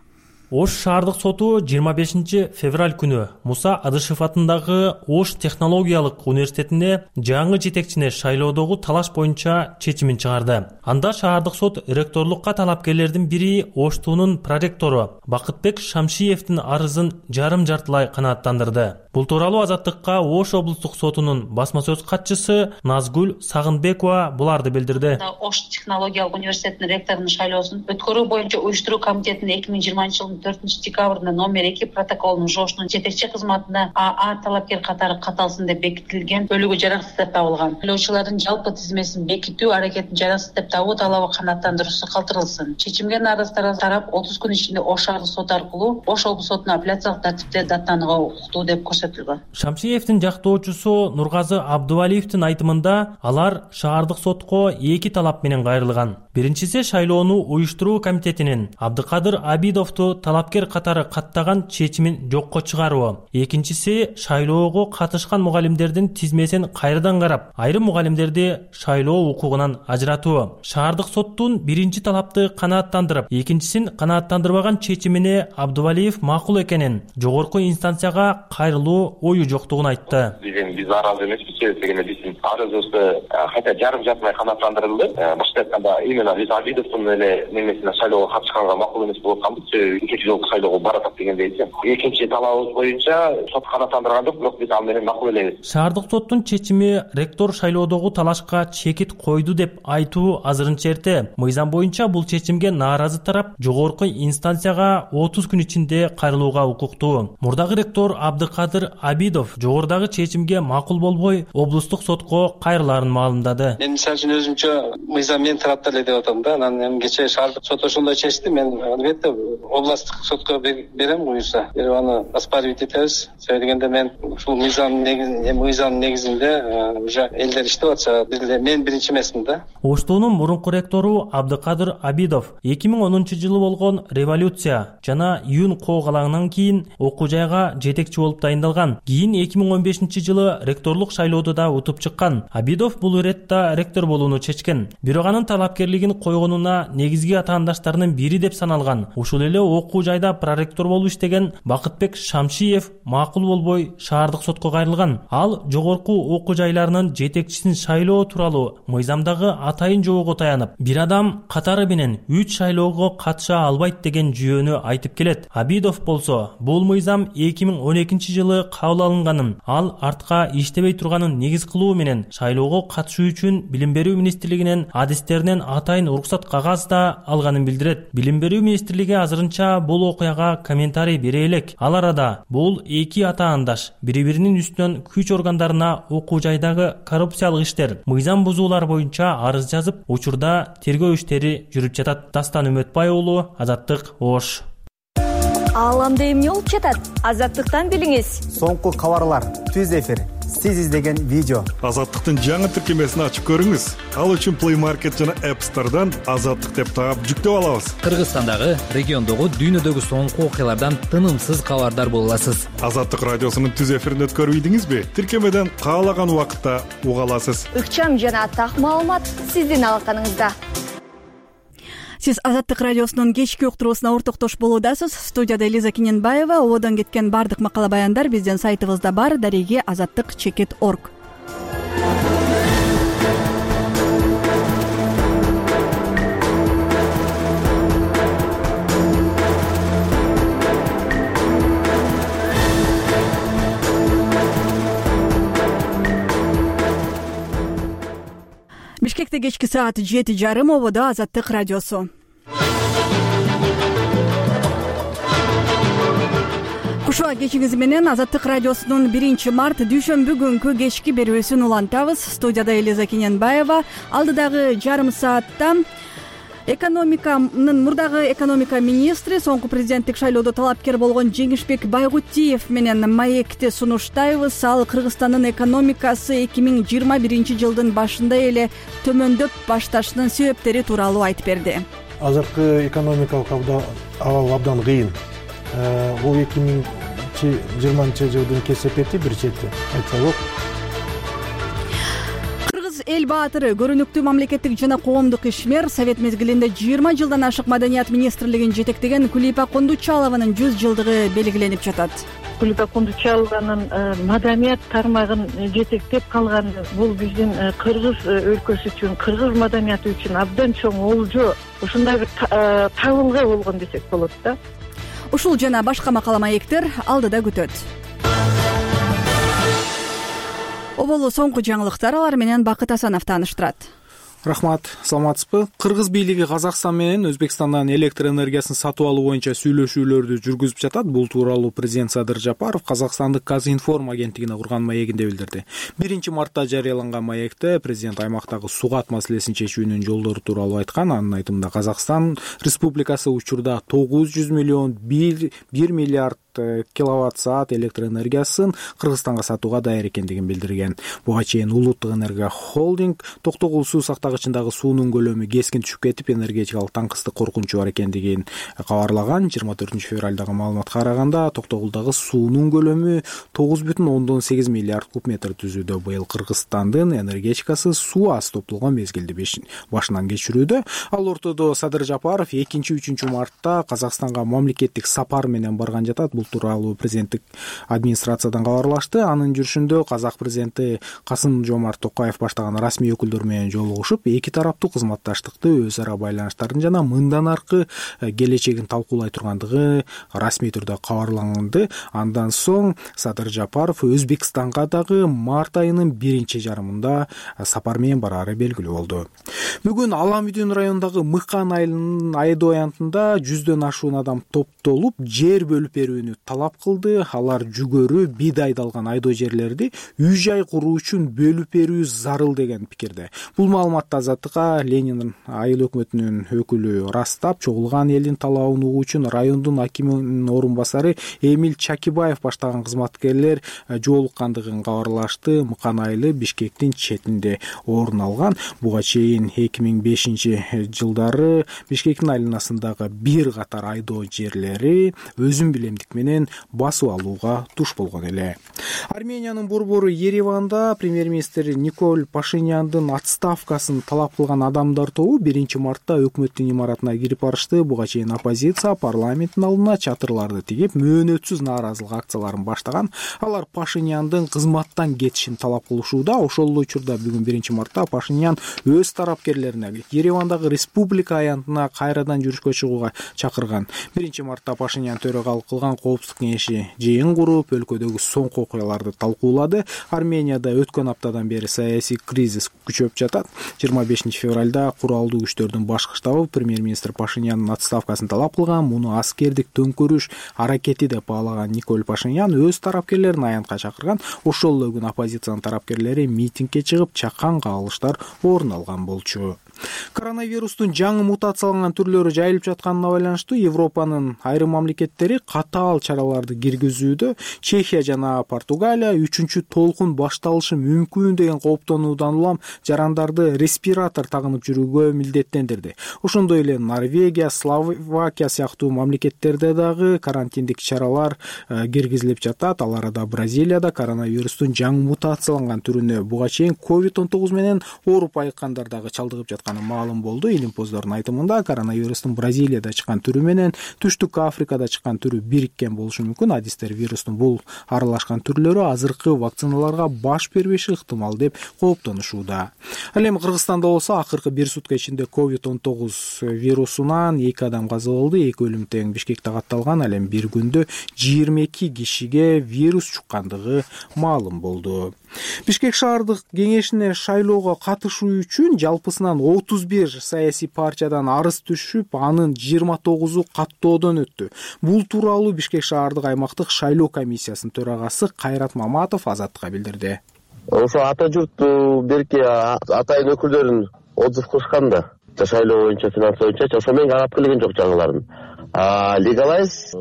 Ош шаардык соту 25 февраль күнү Муса Адышев атындагы Ош технологиялык университетине жаңы жетекчине шайлоодогу талаш боюнча чечимин чыгарды. Анда шаардык сот ректорлукка талапкерлердин бири Оштуунун проректору Бакытбек Шамшиевдин арызын жарым-жартылай канааттандырды. Бул тууралуу Азаттыкка Ош облустук сотунун басма сөз катчысы Назгүл Сагынбекова буларды билдирди. Ош технологиялык университетинин ректорунун шайлоосун өткөрүү боюнча уюштуруу комитетинин 2020 жылдын 4-декабрында номер 2 протоколунун жоошунун жетекчи кызматына АА талапкер катары каталсын деп бекитилген бөлүгү жараксыз деп табылган. Шайлоочулардын жалпы тизмесин бекитүү аракетин жараксыз деп табуу талабы канааттандыруусу калтырылсын. Чечимге нааразы тарап 30 күн ичинде Ош шаардык соту аркылуу Ош облус сотуна апелляциялык тартипте даттанууга укуктуу деп көрсөтүлгөн. Шамшиевдин жактоочусу Нургазы Абдувалиевдин айтымында алар шаардык сотко 2 талап менен кайрылган. Биринчиси шайлоону уюштуруу комитетинин Абдыкадыр Абидовду талапкер катары каттаган чечимин жокко чыгаруу. Экинчиси шайлоого катышкан мугалимдердин тизмесин кайрадан карап, айрым мугалимдерди шайлоо укугунан ажыратуу. Шаардык соттун биринчи талапты канааттандырып, экинчисин канааттандырбаган чечимине Абдувалиев макул экенин, жогорку инстанцияга кайрылуу ою жоктугун айтты. Биз нааразы эмеспиз, себеби биздин арызыбызды кайта жарым-жартылай канааттандырылды. Башка айтканда, именно биз Абидовдун эле немесине шайлоого катышканга макул эмес болуп атканбыз. Экинчи жолку шайлоого баратат дегендей. Экинчи талабыбыз боюнча сот канааттандырган жок, бирок биз ал менен макул элебиз. Шаардык соттун чечими ректор шайлоодогу талашка чекит койду деп айтуу азырынча эрте. Мыйзам боюнча бул чечимге нааразы тарап жогорку инстанцияга 30 күн ичинде кайрылууга укуктуу. Мурдагы ректор Абдыкадыр Абидов жогорудагы чечимге макул болбой, облустук сотко кайрылаарын маалымдады. Мен мисалы үчүн өзүмчө мыйзам мен тарапта эле деп атам да. Анан кечээ шаардык сот ошондой чечти. Мен албетте областтык сотко берем буюрса. Берип аны оспаривать этебиз. Себеби дегенде мен ушул мыйзам негизинде уже элдер иштеп атса, мен биринчи эмесмин да. Оштуунун мурунку ректору Абдыкадыр Абидов 2010-жылы болгон революция жана июнь коогалаңынан кийин окуу жайга жетекчи болуп дайындалган. Кийин 2015-жылы ректорлук шайлоодо да утуп чыккан. Абидов бул иретте ректор болууну чечкен. Бирок анын талапкерлигин койгонуна негизги атаандаштарынын бири деп саналган. Ушул эле окуу жайда проректор болуп иштеген Бакытбек Шамшиев макул болбой шаардык сотко кайрылган. Ал жогорку окуу жайларынын жетекчисин шайлоо тууралуу мыйзамдагы атайын жоого таянып, бир адам катары менен 3 шайлоого катыша албайт деген жүйөнү айтып келет. Абидов болсо, бул мыйзам 2012-жылы кабыл алынганын, ал артка иштебей турганын негиз кылуу менен шайлоого катышуу үчүн Билим берүү министрлигинин адистеринен атайын уруксат кагаз да алганын билдирет. Билим берүү министрлиги азырынча бул окуяга комментарий бере элек. Ал арада бул эки атаандаш бири-биринин үстүнөн күч органдарына окуу жайдагы коррупциялык иштер, мыйзам бузуулар боюнча арыз жазып, учурда тергөө иштери жүрүп жатат. Дастан Үмөтбай уулу, Азаттык, Ош. Ааламда эмне болуп жатат? Азаттыктан билиңиз. Соңку кабарлар, түз эфир, сиз издеген видео. Азаттыктын жаңы тиркемесин ачып көрүңүз. Ал үчүн Play Market жана App Store'дан Азаттык деп таап жүктөп алабыз. Кыргызстандагы, региондогу, дүйнөдөгү соңку окуялардан тынымсыз кабардар боло аласыз. Азаттык радиосунун түз эфирин өткөрүп ийдиңизби? Тиркемеден каалаган убакытта уга аласыз. Ыкчам жана так маалымат сиздин алаканыңызда. Сиз Азаттык радиосунун кечки уктуруусуна ортоктош болуудасыз. Студияда Элиза Киненбаева. Ободон кеткен бардык макала баяндар биздин сайтыбызда бар. Дареги azаттык.org. Бишкекте кечки саат 7:30, Ободо Азаттык радиосу. Кушуа кечиңиз менен Азаттык радиосунун 1-март дүйшөмбү күнкү кечки берүүсүн улантабыз. Студияда Элиза Киненбаева. Алдыдагы жарым саатта мурдагы экономика министри, соңку президенттик шайлоодо талапкер болгон Жеңишбек Байгутиев менен маекти сунуштайбыз. Ал Кыргызстандын экономикасы 2021 жылдын башында эле төмөндөп башташынын себептери тууралуу айтып берди. Азыркы экономикалык абал абдан кыйын. Бул 2020 жылдын кесепети бир чети айтса болот. Эл баатыры, көрүнүктүү мамлекеттик жана коомдук ишмер, Совет мезгилинде 20 жылдан ашык Маданият министрлигин жетектеген Кулипа Кундучалованын 100 жылдыгы белгиленип жатат. Кулипа Кундучалованын маданият тармагын жетектеп калганы бул биздин кыргыз өлкөсү үчүн, кыргыз маданияты үчүн абдан чоң олжо, ушундай бир табылга болгон десек болот да. Ушул жана башка макала маектер алдыда күтөт. Оболу соңку жаңылыктар, алар менен Бакыт Асанов тааныштырат. Рахмат, саламатсызбы? Кыргыз бийлиги Казакстан менен Өзбекстандан электр энергиясын сатып алуу боюнча сүйлөшүүлөрдү жүргүзүп жатат. Бул тууралуу президент Садыр Жапаров Казакстандык Казинформ агенттигине курган маегинде билдирди. 1-мартта жарыяланган маекте президент аймактагы сугат маселесин чечүүнүн жолдору тууралуу айткан. Анын айтымында Казакстан Республикасы учурда 900 миллион 1 миллиард киловатт-саат электр энергиясын Кыргызстанга сатууга даяр экендигин билдирген. Буга чейин Улуттук энергия холдинг Токтогул суу сактагычындагы суунун көлөмү кескин түшүп кетип, энергетикалык таңкыстык коркунучу бар экендигин кабарлаган. 24-февралдагы маалыматка караганда Токтогулдагы суунун көлөмү 9,8 миллиард куб метр түзүүдө. Быйыл Кыргызстандын энергетикасы суу аз топтолгон мезгилди башынан кечирүүдө. Ал ортодо Садыр Жапаров 2-3 мартта Казакстанга мамлекеттик сапар менен барган жатат. Бул тууралуу президенттик администрациядан кабарлашты. Анын жүрүшүндө казак президенти Касым-Жомарт Токаев баштаган расмий өкүлдөр менен жолугушуп, эки тараптуу кызматташтыкты, өз ара байланыштарын жана мындан аркы келечегин талкуулай тургандыгы расмий түрдө кабарланды. Андан соң Садыр Жапаров Өзбекстанга дагы март айынын 1-жарымында сапар менен барары белгилүү болду. Бүгүн Ала Мүдүн районундагы Мыкан айылынын айдоо аянтында 100дөн ашуун адам топтолуп жер бөлүп берүүнү талап кылды. Алар жүгөрү, бидайды алган айдоо жерлерди үй-жай куруу үчүн бөлүп берүү зарыл деген пикирде. Бул маалыматты Азаттыкка Ленин айыл өкмөтүнүн өкүлү растап, чогулган элдин талабын угуу үчүн райондун акиминин орун басары Эмиль Чакибаев баштаган кызматкерлер жолуккандыгын кабарлашты. Мыкан айылы Бишкектин четинде орун алган. Буга чейин 2005-жылдары Бишкектин айланасындагы бир катар айдоо жерлери өзүн билемдик менен басып алууга туш болгон эле. Армениянын борбору Ереванда премьер-министр Николь Пашиняндын отставкасын талап кылган адамдар тобу 1-мартта өкмөттүн имаратына кирип барышты. Буга чейин оппозиция парламенттин алдына чатырларды тигип, мөөнөтсүз нааразылык акцияларын баштаган. Алар Пашиняндын кызматтан кетишин талап кылышууда. Ошол учурда бүгүн 1-мартта Пашинян өз тарапкерлерине Еревандагы республика аянтына кайрадан жүрүшкө чыгууга чакырган. 1-мартта Пашинян төрөгалык кылган коопсуздук кеңеши жыйын куруп, өлкөдөгү соңку окуяларды талкуулады. Арменияда өткөн аптадан бери саясий кризис күчөп жатат. 25 февралда куралдуу күчтөрдүн башкы штабы премьер-министр Пашинянын отставкасын талап кылган. Муну аскердик төңкөрүш аракети деп баалаган Николь Пашинян өз тарапкерлерин аянтка чакырган. Ошол эле күнү оппозициянын тарапкерлери митингге чыгып, чакан кагылыштар орун алган болчу. Коронавирустун жаңы мутацияланган түрлөрү жайылып жатканына байланыштуу Европанын айрым мамлекеттери катаал чараларды киргизүүдө. Чехия жана Португалия 3-чү толкун башталышы мүмкүн деген кооптонуудан улам жарандарды респиратор тагынып жүрүүгө милдеттендирди. Ошондой эле Норвегия, Словакия сыяктуу мамлекеттерде дагы карантиндик чаралар киргизилип жатат. Ал арада Бразилияда коронавирустун жаңы мутацияланган түрүнө буга чейин COVID-19 менен ооруп айыккандар дагы чалдыгып жаткан маалым болду. Илимпоздордун айтымында коронавирустун Бразилияда чыккан түрү менен Түштүк Африкада чыккан түрү бириккен болушу мүмкүн. Адистер вирустун бул аралашкан түрлөрү азыркы вакциналарга баш бербеши ыктымал деп кооптонушууда. Ал эми Кыргызстанда болсо акыркы бир сутка ичинде COVID-19 вирусунан 2 адам каза болду, 2 өлүм тең Бишкекте катталган. Ал эми бир күндө 22 кишиге вирус чуккандыгы маалым болду. Бишкек шаардык кеңешине шайлоого катышуу үчүн жалпысынан 31 саясий партиядан арыз түшүп, анын 29-у каттоодон өттү. Бул тууралуу Бишкек шаардык аймактык шайлоо комиссиясынын төрагасы Кайрат Маматов Азаттыкка билдирди. Ошо ата журт берки атайын өкүлдөрүн отзыв кылышкан да. Шайлоо боюнча, финанс боюнча, ошо менен карап келген жок жаңыларын. Легалайз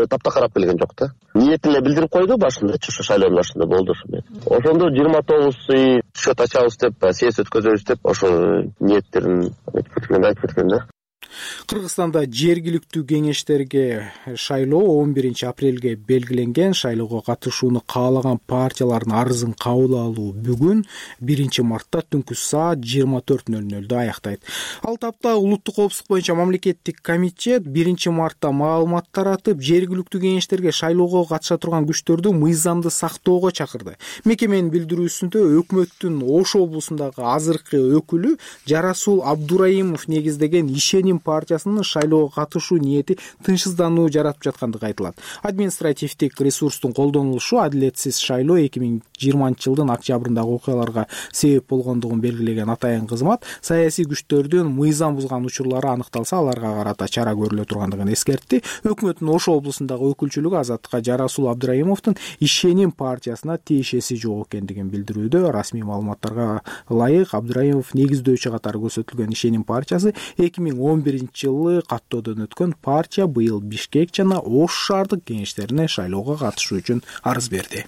тапта карап келген жок да. Ниетин эле билдирип койду башында, ошо шайлоонун башында болду ошо менен. Ошондо 29 счет ачабыз деп, съезд өткөзөбүз деп, ошо ниеттерин айтып кеткен да. Кыргызстанда жергиликтүү кеңештерге шайлоо 11 апрелге белгиленген. Шайлоого катышууну каалаган партиялардын арызын кабыл алуу бүгүн 1 мартта түнкү саат 24:00 аяктайт. Ал тапта улуттук коопсуздук боюнча мамлекеттик комитет 1 мартта маалымат таратып, жергиликтүү кеңештерге шайлоого катыша турган күчтөрдү мыйзамды сактоого чакырды. Мекеменин билдирүүсүндө өкмөттүн Ош облусундагы азыркы өкүлү Жарасул Абдураимов негиздеген Ишеним партиясынын шайлоого катышуу ниети тынчсыздануу жаратып жаткандыгы айтылат. Административдик ресурстун колдонулушу адилетсиз шайлоо 2020 жылдын октябрындагы окуяларга себеп болгондугун белгилеген атайын кызмат саясий күчтөрдүн мыйзам бузган учурлары аныкталса, аларга карата чара көрүлө тургандыгын эскертти. Өкмөттүн Ош облусундагы өкүлчүлүгү Азаттыкка Жарасул Абдураимовдун Ишеним партиясына тиешеси жок экендигин билдирүүдө. Расмий маалыматтарга ылайык Абдураимов негиздөөчү катары көрсөтүлгөн Ишеним партиясы 2011-жылы каттоодон өткөн партия быйыл Бишкек жана Ош шаардык кеңештерине шайлоого катышуу үчүн арыз берди.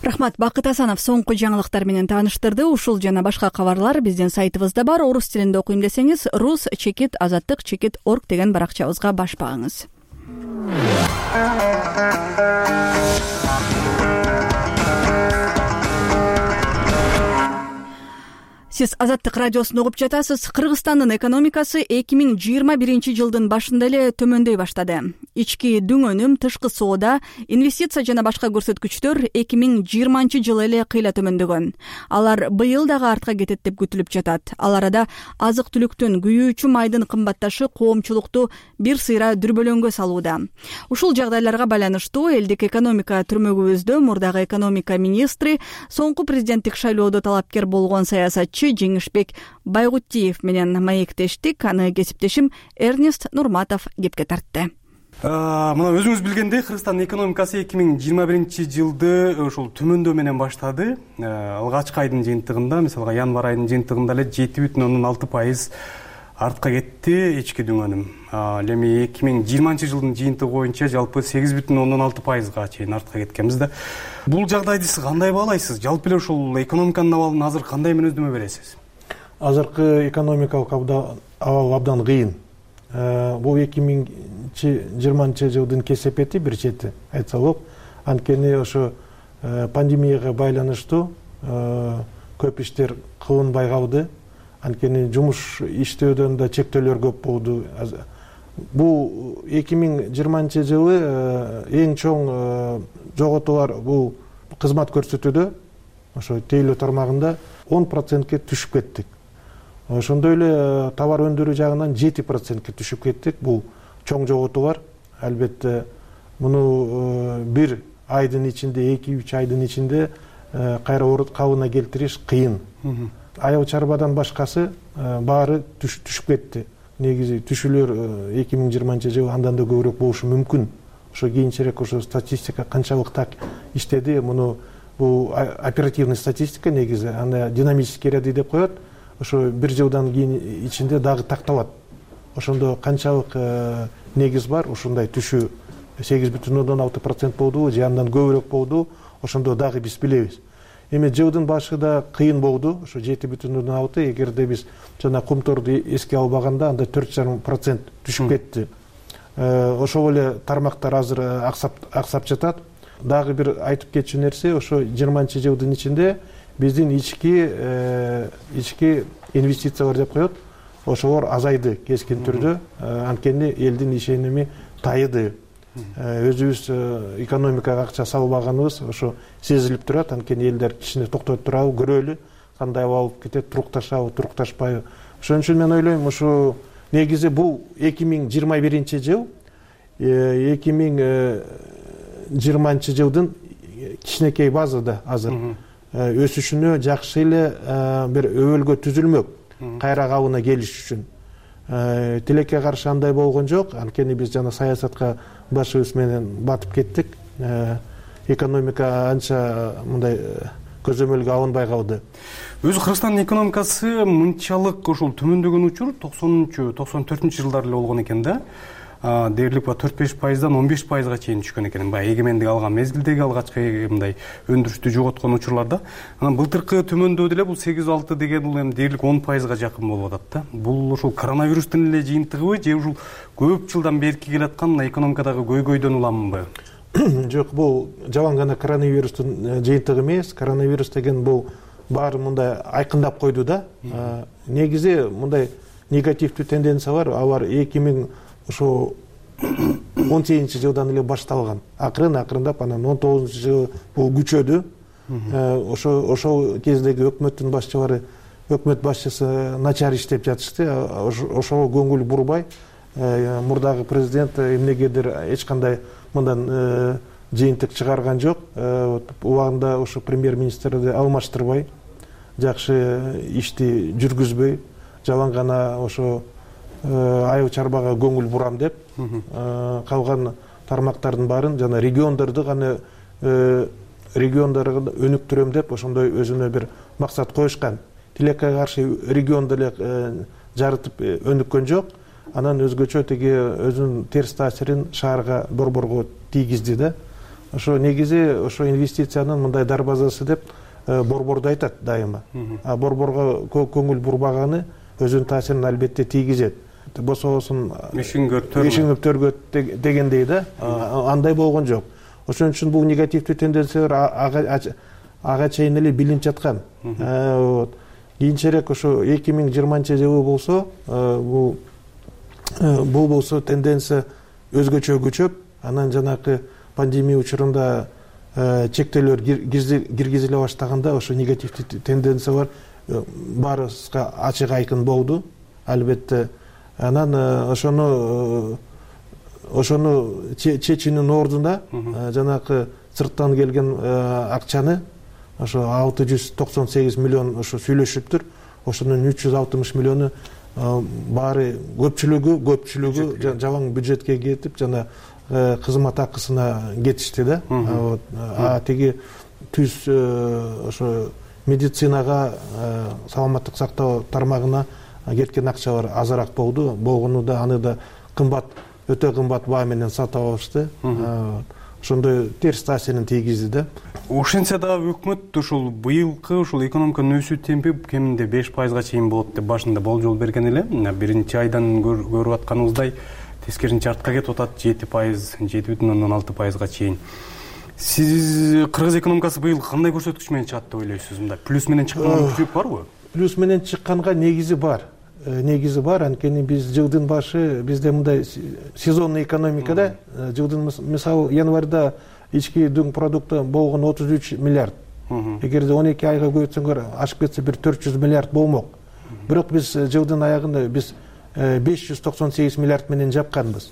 Рахмат. Бакыт Асанов соңку жаңылыктар менен тааныштырды. Ушул жана башка кабарлар биздин сайтыбызда бар. Орус тилинде окуйм десеңиз, rus-azаттык-org деген баракчабызга баш багыңыз. Сиз Азаттык радиосун угуп жатасыз. Кыргызстандын экономикасы 2021 жылдын башында эле төмөндөй баштады. Ички дүң өнүм, тышкы соода, инвестиция жана башка көрсөткүчтөр 2020 жылы эле кыйла төмөндөгөн. Алар быйыл дагы артка кетет деп күтүлүп жатат. Ал арада азык-түлүктүн, күйүүчү майдын кымбатташы коомчулукту бир сыйра дүрбөлөңгө салууда. Ушул жагдайларга байланыштуу элдик экономика түрмөгүбүздө мурдагы экономика министри, соңку президенттик шайлоодо талапкер болгон саясатчы Жеңишбек Байгутиев менен маектештик. Аны кесиптешим Эрнест Нурматов кепке тартты. Мына өзүңүз билгендей, Кыргызстандын экономикасы 2021 жылды ошол төмөндөө менен баштады. Алгачкы айдын жыйынтыгында, мисалга январь айдын жыйынтыгында эле 7,6% артка кетти ички дүң өнүм. Эми 2020 жылдын жыйынтыгы боюнча жалпы 8,6%га чейин артка кеткенбиз да. Бул жагдайды сиз кандай баалайсыз? Жалпы эле ушул экономиканын абалын азыр кандай мүнөздөмө бересиз? Азыркы экономикалык абал абдан кыйын. Бул 2020 жылдын кесепети бир чети айтса болот. Анткени ошо пандемияга байланыштуу көп иштер кылынбай калды. Анткени жумуш иштөөдөн да чектөөлөр көп болду. Бул 2020 жылы эң чоң жоготуулар бул кызмат көрсөтүүдө, ошо тейлөө тармагында 10%ке түшүп кеттик. Ошондой эле товар өндүрүү жагынан 7%ке түшүп кеттик. Бул чоң жоготуулар. Албетте муну бир айдын ичинде, 2-3 айдын ичинде кайра кабына келтириш кыйын. Аял чарбадан башкасы баары түшүп кетти. Негизи түшүүлөр 2020-жылы андан да көбүрөөк болушу мүмкүн. Ошо кийинчерээк ошо статистика канчалык так иштеди, муну бул оперативный статистика негизи, аны динамический ряды деп коет. Ошо бир жылдан кийин ичинде дагы такталат. Ошондо канчалык негиз бар, ушундай түшүү 8,6% болдубу же андан көбүрөөк болдубу, ошондо дагы биз билебиз. Эми жылдын башында кыйын болду, ошо 7,6. Эгерде биз жана кумторду эске албаганда анда 4,5% түшүп кетти. Ошол эле тармактар азыр аксап жатат. Дагы бир айтып кетчү нерсе, ошо 20-жылдын ичинде биздин ички инвестициялар деп коет. Ошолор азайды кескин түрдө, анткени элдин ишеними тайыды. Өзүбүз экономикага акча салбаганыбыз ошо сезилип турат. Анткени элдер кичине токтоп турабы, көрөлү, кандай алып кетет, турукташабы, турукташпайбы. Ошон үчүн мен ойлойм, ушу негизи бул 2021-жыл, 2020-жылдын кичинекей базада азыр өсүшүнө жакшы эле бир өбөлгө түзүлмөк кайра кабына келиш үчүн. Тилекке каршы андай болгон жок, анткени биз жана саясатка башыбыз менен батып кеттик. Экономика анча мындай көзөмөлгө алынбай калды. Өзү Кыргызстандын экономикасы мынчалык ошол төмөндөгөн учур 90-94-жылдар эле болгон экен да. Дээрлик 4-5%дан 15%га чейин түшкөн экен. Баягы эгемендик алган мезгилдеги алгачкы мындай өндүрүштү жоготкон учурларда. Анан былтыркы төмөндөө деле бул 8-6 деген бул эми дээрлик 10%га жакын болуп атат да. Бул ошол коронавирустун эле жыйынтыгыбы же ушул көп жылдан берки келаткан экономикадагы көйгөйдөн уламынбы? Жок, бул жаман гана коронавирустун жыйынтыгы эмес. Коронавирус деген бул баары мындай айкындап койду да. Негизи мындай негативдүү тенденция бар. Алар 2018-жылдан эле башталган. Акырындап анан 19-жылы бул күчөдү. Ошол кездеги өкмөттүн башчылары, өкмөт башчысы начар иштеп жатышты. Ошого көңүл бурбай, мурдагы президент эмнегедир эч кандай мындан жыйынтык чыгарган жок. Убагында ошо премьер-министрди алмаштырбай, жакшы ишти жүргүзбөй, жалаң гана ошо айыл чарбага көңүл бурам деп, калган тармактардын баарын жана региондорду гана региондорду өнүктүрөм деп ошондой өзүнө бир максат коюшкан. Тилекке каршы регионду эле жарытып өнүккөн жок. Анан өзгөчө тиги өзүнүн терс таасирин шаарга, борборго тийгизди да. Ошо негизи ошо инвестициянын мындай дарбазасы деп борборду айтат дайыма. А борборго көңүл бурбаганы өзүнүн таасирин албетте тийгизет. Бособосун ишиңөптөргө дегендей да, андай болгон жок. Ошон үчүн бул негативдүү тенденциялар ага чейин эле билинип жаткан. Кийинчерээк ошо 2020-жылы болсо, бул болсо тенденция өзгөчө күчөп, анан жанакы пандемия учурунда чектөөлөр киргизиле баштаганда ошо негативдүү тенденциялар баарыбызга ачык айкын болду. Албетте анан ошону чечүүнүн ордуна жанакы сырттан келген акчаны ошо 698 миллион ошо сүйлөшүптүр. Ошонун 360 миллиону баары көпчүлүгү жалаң бюджетке кетип, жана кызмат акысына кетишти да. Тиги түз ошо медицинага, саламаттык сактоо тармагына кеткен акчалар азыраак болду. Болгону да аны да кымбат, өтө кымбат баа менен сатып алышты. Ошондой терс таасирин тийгизди да. Ошентсе дагы өкмөт ушул быйылкы ушул экономиканын өсүү темпи кеминде 5%га чейин болот деп башында болжол берген эле. Биринчи айдан көрүп атканыбыздай тескерисинче артка кетип атат, 7,6%га чейин. Сиз кыргыз экономикасы быйыл кандай көрсөткүч менен чыгат деп ойлойсуз? Мындай плюс менен чыккан күчүлүк барбы? Плюс менен чыкканга негизи бар. Анткени биз жылдын башы бизде мындай сезонный экономикада жылдын мисалы январда ички дүң продукты болгон 33 миллиард. Эгерде 12 айга көбөйтсөңөр ашып кетсе бир 400 миллиард болмок. Бирок биз жылдын аягында биз 598 миллиард менен жапканбыз.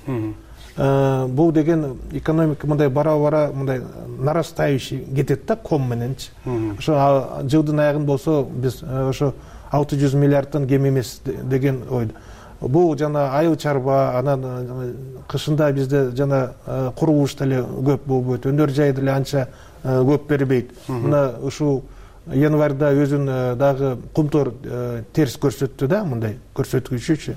бул деген экономика мындай бара мындай нарастающий кетет да ком мененчи. Ошо жылдын аягында болсо биз ошо 600 миллиардтан кем эмес деген ойдо. Бул жана айыл чарба, анан кышында бизде жана курулуш деле көп болбойт, өнөр жай деле анча көп бербейт. Мына ушул январда өзүн дагы кумтор терс көрсөттү да, мындай көрсөткүчүчү.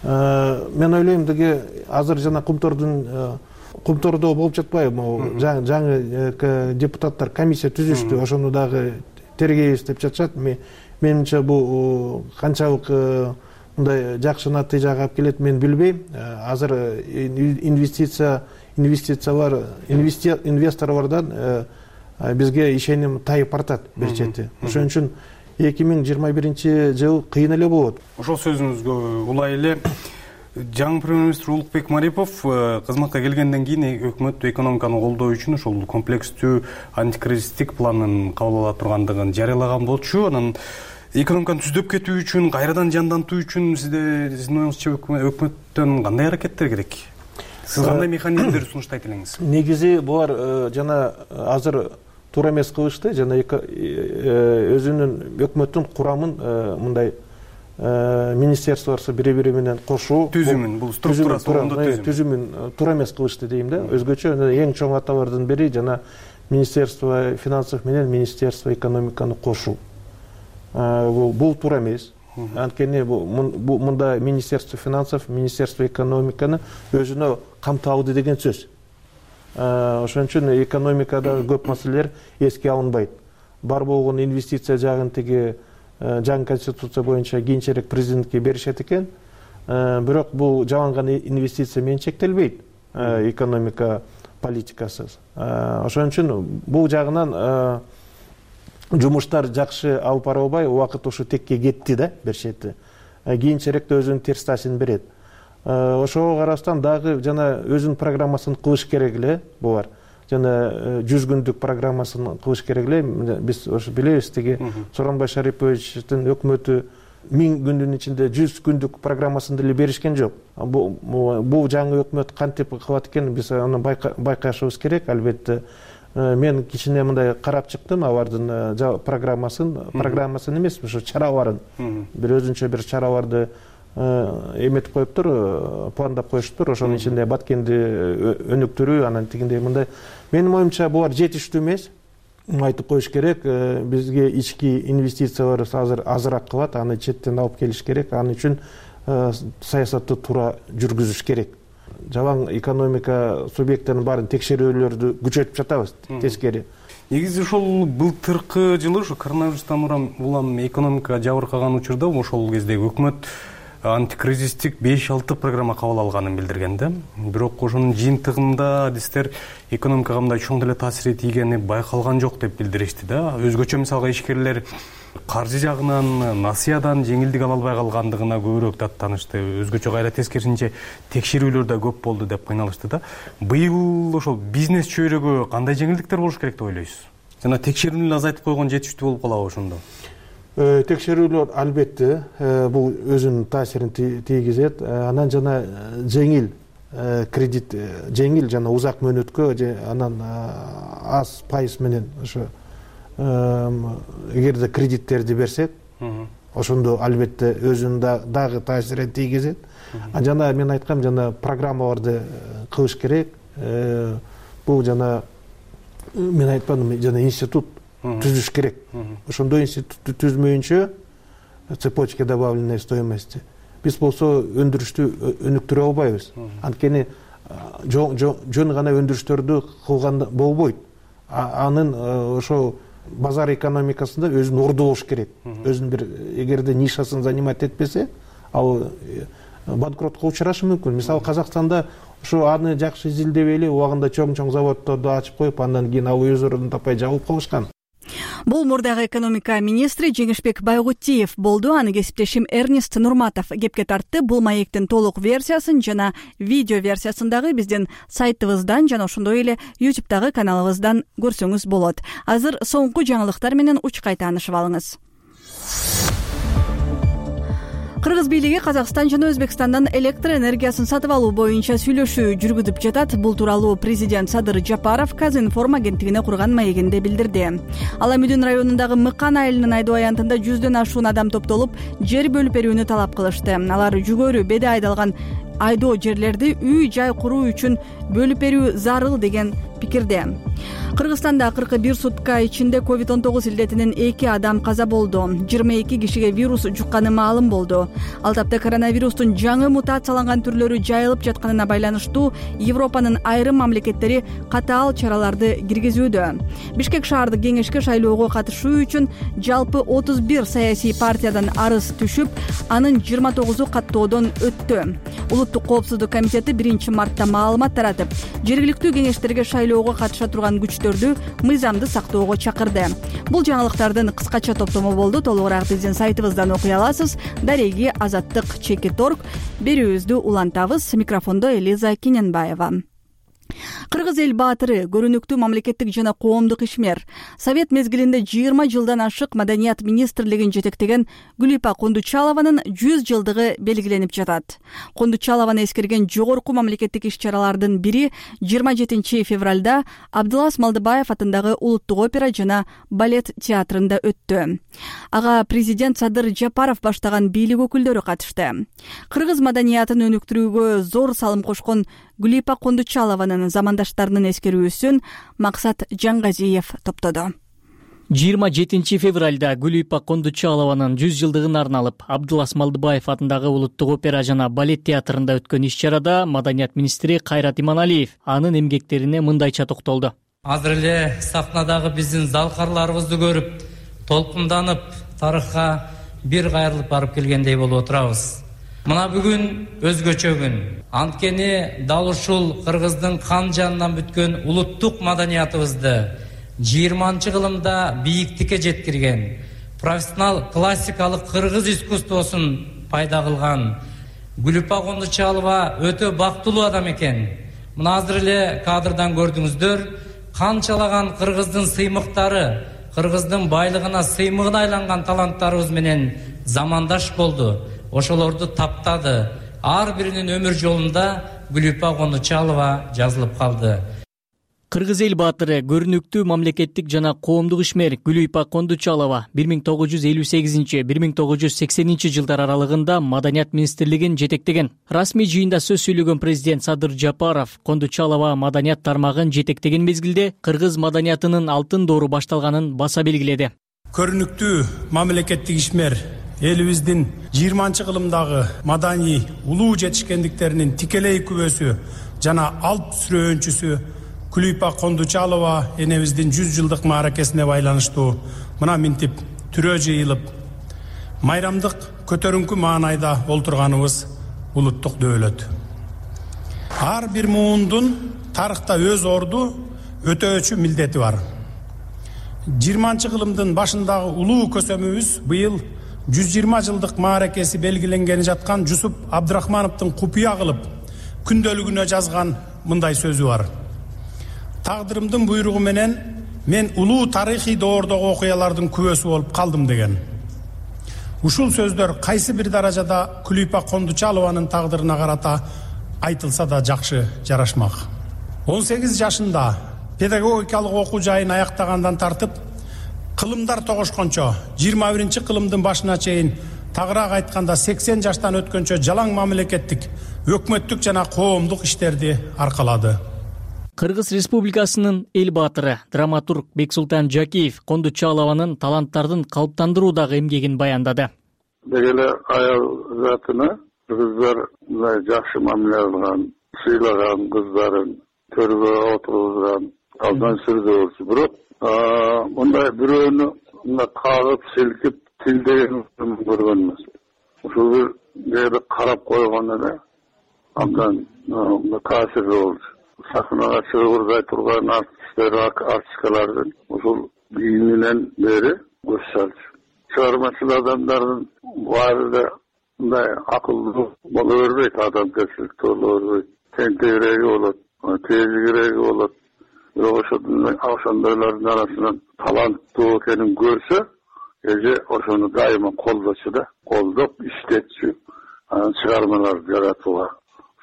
Мен ойлойм деги азыр жана кумтордо болуп жатпайбы, могу жаңы депутаттар комиссия түзүштү, ошону дагы тергейбиз деп жатышат. Менимче бул канчалык мындай жакшы натыйжага алып келет мен билбейм. Азыр инвесторлордон бизге ишеним тайып бартат бир чети. Ошон үчүн 2021-жыл кыйын эле болот. Ошол сөзүңүзгө улай эле жаңы премьер-министр Улукбек Марипов кызматка келгенден кийин өкмөт экономиканы колдоо үчүн ошол комплекстүү антикризистик планын кабыл ала тургандыгын жарыялаган болчу. Анан экономиканы түздөп кетүү үчүн, кайрадан жандантуу үчүн сиздин оюңузча өкмөттөн кандай аракеттер керек? Сиз кандай механизмдерди сунуштайт элеңиз? Негизи булар жана азыр туура эмес кылышты, жана өзүнүн өкмөттүн курамын мындай министерстволор бири-бири менен кошуу түзүмүн, бул структурасы түзүмүн туура эмес кылышты дейм да. Өзгөчө эң чоң аталардын бири жана Министерство финансов менен Министерство экономиканы кошуу. Бул туура эмес. Анткени мында Министерство финансов, Министерство экономиканы өзүнө камтып алды деген сөз. Ошон үчүн экономикада көп маселелер эске алынбайт. Бар болгон инвестиция жагын теги жаңы конституция боюнча кийинчерээк президентке беришет экен. Бирок бул жалаң гана инвестиция менен чектелбейт экономика политикасы. Ошон үчүн бул жагынан жумуштар жакшы алып бара албай, убакыт ушу текке кетти да бир чети. Кийинчерээк да өзүнүн терс таасирин берет. Ошого карабастан дагы жана өзүнүн программасын кылыш керек эле булар. Жана 100 күндүк программасын кылыш керек эле. Биз ошо билебиз, теги Сооронбай Шариповичтин өкмөтү 1000 күндүн ичинде 100 күндүк программасын деле беришкен жок. Бул жаңы өкмөт кантип кылат экен, биз аны байкашыбыз керек, албетте. Мен кичине мындай карап чыктым алардын программасын эмес, ошо чараларын. Бир өзүнчө бир чараларды эметип коюптур, пландап коюштур. Ошонун ичинде Баткенди өнүктүрүү, анан тигиндей мындай. Менин оюмча булар жетиштүү эмес. Айтып коюш керек, бизге ички инвестициялар азыр азыраак кылат, аны четтен алып келиш керек. Аны үчүн саясатты туура жүргүзүш керек. Жалаң экономика субъекттеринин баарын текшерүүлөрдү күчөтүп жатабыз, тескери. Негизи ошол былтыркы жылы ушу коронавирустан улам экономика жабыркаган учурда ошол кездеги өкмөт антикризистик 5-6 программа кабыл алганын билдирген да. Бирок ошонун жыйынтыгында адистер экономикага мындай чоң деле таасир тийгени байкалган жок деп билдиришти да. Өзгөчө мисалга ишкерлер каржы жагынан, насыядан жеңилдик ала албай калгандыгына көбүрөөк даттанышты. Өзгөчө кайра тескерисинче текшерүүлөр да көп болду деп кыйналышты да. Быйыл ошол бизнес чөйрөгө кандай жеңилдиктер болуш керек деп ойлойсуз? Жана текшерүүнү азайтып койгон жетиштүү болуп калабы ошондо? Текшерүүлөр албетте бул өзүнүн таасирин тийгизет. Анан жана жеңил кредит, жеңил жана узак мөөнөткө, анан аз пайыз менен ошо эгерде кредиттерди берсек, ошондо албетте өзүнүн дагы таасирин тийгизет. Жана мен айткам, жана программаларды кылыш керек. Бул жана мен айтпадым, жана институт түзүш керек. Ошондой институтты түзмөйүнчө цепочка добавленной стоимости биз болсо өндүрүштү өнүктүрө албайбыз. Анткени жөн гана өндүрүштөрдү кылганда болбойт. Анын ошо базар экономикасында өзүн орду болуш керек. Өзүнүн бир эгерде нишасын занимать этпесе, ал банкротко учурашы мүмкүн. Мисалы Казакстанда ошо аны жакшы изилдебей эле убагында чоң заводдорду ачып коюп, андан кийин ал өз ордун таппай жабылып калышкан. Бул мурдагы экономика министри Жеңишбек Байгутиев болду. Аны кесиптешим Эрнест Нурматов кепке тартты. Бул маектин толук версиясын жана видео версиясын дагы биздин сайтыбыздан жана ошондой эле YouTube'дагы каналыбыздан көрсөңүз болот. Азыр соңку жаңылыктар менен учкай таанышып алыңыз. Кыргыз бийлиги Казакстан жана Өзбекстандан электр энергиясын сатып алуу боюнча сүйлөшүү жүргүзүп жатат. Бул тууралуу президент Садыр Жапаров Казинформ агенттигине курган маегинде билдирди. Ал Амидүн районундагы Мыкан айылынын айдоо аянтында 100дөн ашуун адам топтолуп, жер бөлүп берүүнү талап кылышты. Алар жүгөрү беде айдалган айдоо жерлерди үй жай куруу үчүн бөлүп берүү зарыл деген пикирде. Кыргызстанда 41 сутка ичинде COVID-19 илдетинен 2 адам каза болду. 22 кишиге вирус жукканы маалым болду. Ал тапта коронавирустун жаңы мутацияланган түрлөрү жайылып жатканына байланыштуу Европанын айрым мамлекеттери катаал чараларды киргизүүдө. Бишкек шаардык кеңешке шайлоого катышуу үчүн жалпы 31 саясий партиядан арыз түшүп, анын 29-у каттоодон өттү. Улуттук коопсуздук комитети 1-мартта маалымат таратып, жергиликтүү кеңештерге шайлоого катыша турган күчтөрдү мыйзамды сактоого чакырды. Бул жаңылыктардын кыскача топтому болду. Толугураак биздин сайтыбыздан окуй аласыз. Дареги Азаттык /org. Берүүбүздү улантабыз. Микрофондо Элиза Кененбаева. Кыргыз эл баатыры, көрүнүктүү мамлекеттик жана коомдук ишмер, Совет мезгилинде 20 жылдан ашык Маданият министрлигин жетектеген Гүлипа Кундучалованын 100 жылдыгы белгиленип жатат. Кундучалованы эскерген жогорку мамлекеттик иш-чаралардын бири 27 февралда Абдылас Малдыбаев атындагы Улуттук опера жана балет театрында өттү. Ага президент Садыр Жапаров баштаган бийлик өкүлдөрү катышты. Кыргыз маданиятын өнүктүрүүгө зор салым кошкон Гүлипа Кундучалованын замандаштарынын эскерүүсүн Максат Жаңгазиев топтоду. 27 февралда Гүлипа Кундучалованын 100 жылдыгына арналып Абдылас Малдыбаев атындагы Улуттук опера жана балет театрында өткөн иш-чарада Маданият министри Кайрат Иманалиев анын эмгектерине мындайча токтолду. Азыр эле сахнадагы биздин залкарларыбызды көрүп, толкунданып, тарыхка бир кайрылып барып келгендей болуп отурабыз. Мына бүгүн өзгөчө күн. Анткени дал ушул Кыргыздын кан жанынан бүткөн улуттук маданиятыбызды 20-кылымда бийиктикке жеткирген, профессионал классикалык кыргыз искусствосун пайда кылган Гүлипа Кундучалова өтө бактылуу адам экен. Мына азыр эле кадрдан көрдүңүздөр, канчалаган кыргыздын сыймыктары, кыргыздын байлыгына сыймыгына айланган таланттарыбыз менен замандаш болду. Ошолорду таптады. Ар биринин өмүр жолунда Гүлипа Кундучалова жазылып калды. Кыргыз эл баатыры, көрүнүктүү мамлекеттик жана коомдук ишмер Гүлипа Кундучалова 1958-1980 жылдар аралыгында Маданият министрлигин жетектеген. Расмий жыйында сөз сүйлөгөн президент Садыр Жапаров Кундучалова маданият тармагын жетектеген мезгилде кыргыз маданиятынын алтын доору башталганын баса белгиледи. Көрүнүктүү мамлекеттик ишмер элибиздин 20-кылымдагы маданий улуу жетишкендиктеринин тикелей күбөсү жана алп сүрөөнчүсү Гүлипа Кундучалова энебиздин 100 жылдык мааракесине байланыштуу мына минтип түрөө жыйылып, майрамдык көтөрүңкү маанайда олтурганыбыз улуттук дөөлөт. Ар бир муундун тарыхта өз орду, өтөөчү милдети бар. 20-кылымдын башындагы улуу көсөмүбүз быйыл 120 жылдык мааракеси белгиленгени жаткан Жусуп Абдрахмановдун купуя кылып күндөлүгүнө жазган мындай сөзү бар. Тагдырымдын буйругу менен мен улуу тарыхый доордогу окуялардын күбөсү болуп калдым деген. Ушул сөздөр кайсы бир даражада Гүлипа Кундучалованын тагдырына карата айтылса да жакшы жарашмак. 18 жашында педагогикалык окуу жайын аяктагандан тартып, кылымдар тогошкончо 21-кылымдын башына чейин, тагыраак айтканда 80 жаштан өткөнчө жалаң мамлекеттик, өкмөттүк жана коомдук иштерди аркалады. Кыргыз Республикасынын эл баатыры, драматург Бексултан Жакиев Кундучалованын таланттардын калыптандыруудагы эмгегин баяндады. Дегеле аял затына кыргыздар жакшы мамиле кылган, сыйлаган кыздарын төргө отургузган, алдан сүрдү. Бирок мындай бирөөнү кагып, силкип, тилдеген көргөн эмес. Ушул бир жерде карап койгон эле абдан таасирлүү болчу. Сахнага чыгып ыргай турган артисткалардын ушул кийиминен бери көз салчу. Чыгармачыл адамдардын баары да мындай акылдуу боло бербейт, адамгерчиликтүү боло бербейт. Тентегиреги болот, тезигиреги болот. Бирок ошондойлордун арасынан таланттуу экенин көрсө, эже ошону дайыма колдочу да, колдоп иштетчү, анан чыгармалар жаратууга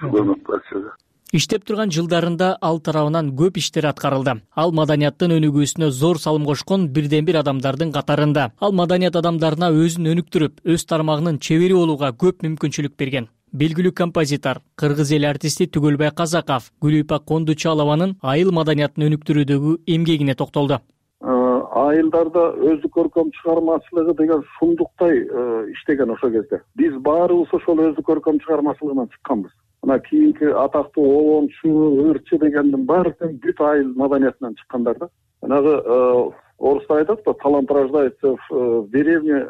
көмөк берчү да. Иштеп турган жылдарында ал тарабынан көп иштер аткарылды. Ал маданияттын өнүгүүсүнө зор салым кошкон бирден бир адамдардын катарында. Ал маданият адамдарына өзүн өнүктүрүп, өз тармагынын чебери болууга көп мүмкүнчүлүк берген. Белгилүү композитор, кыргыз эл артисти Түгөлбай Казаков Гүлүйпак Кондучалованын айыл маданиятын өнүктүрүүдөгү эмгегине токтолду. Айылдарда өздүк көркөм чыгармачылыгы деген шундуктай иштеген ошол кезде. Биз баарыбыз ошол өздүк көркөм чыгармачылыгынан чыкканбыз. Мына кийинки атактуу Олончу, Ырчы дегендин баардыгы бүт айыл маданиятынан чыккандар да. Жанагы орустар айтат да, талант рождается в деревне,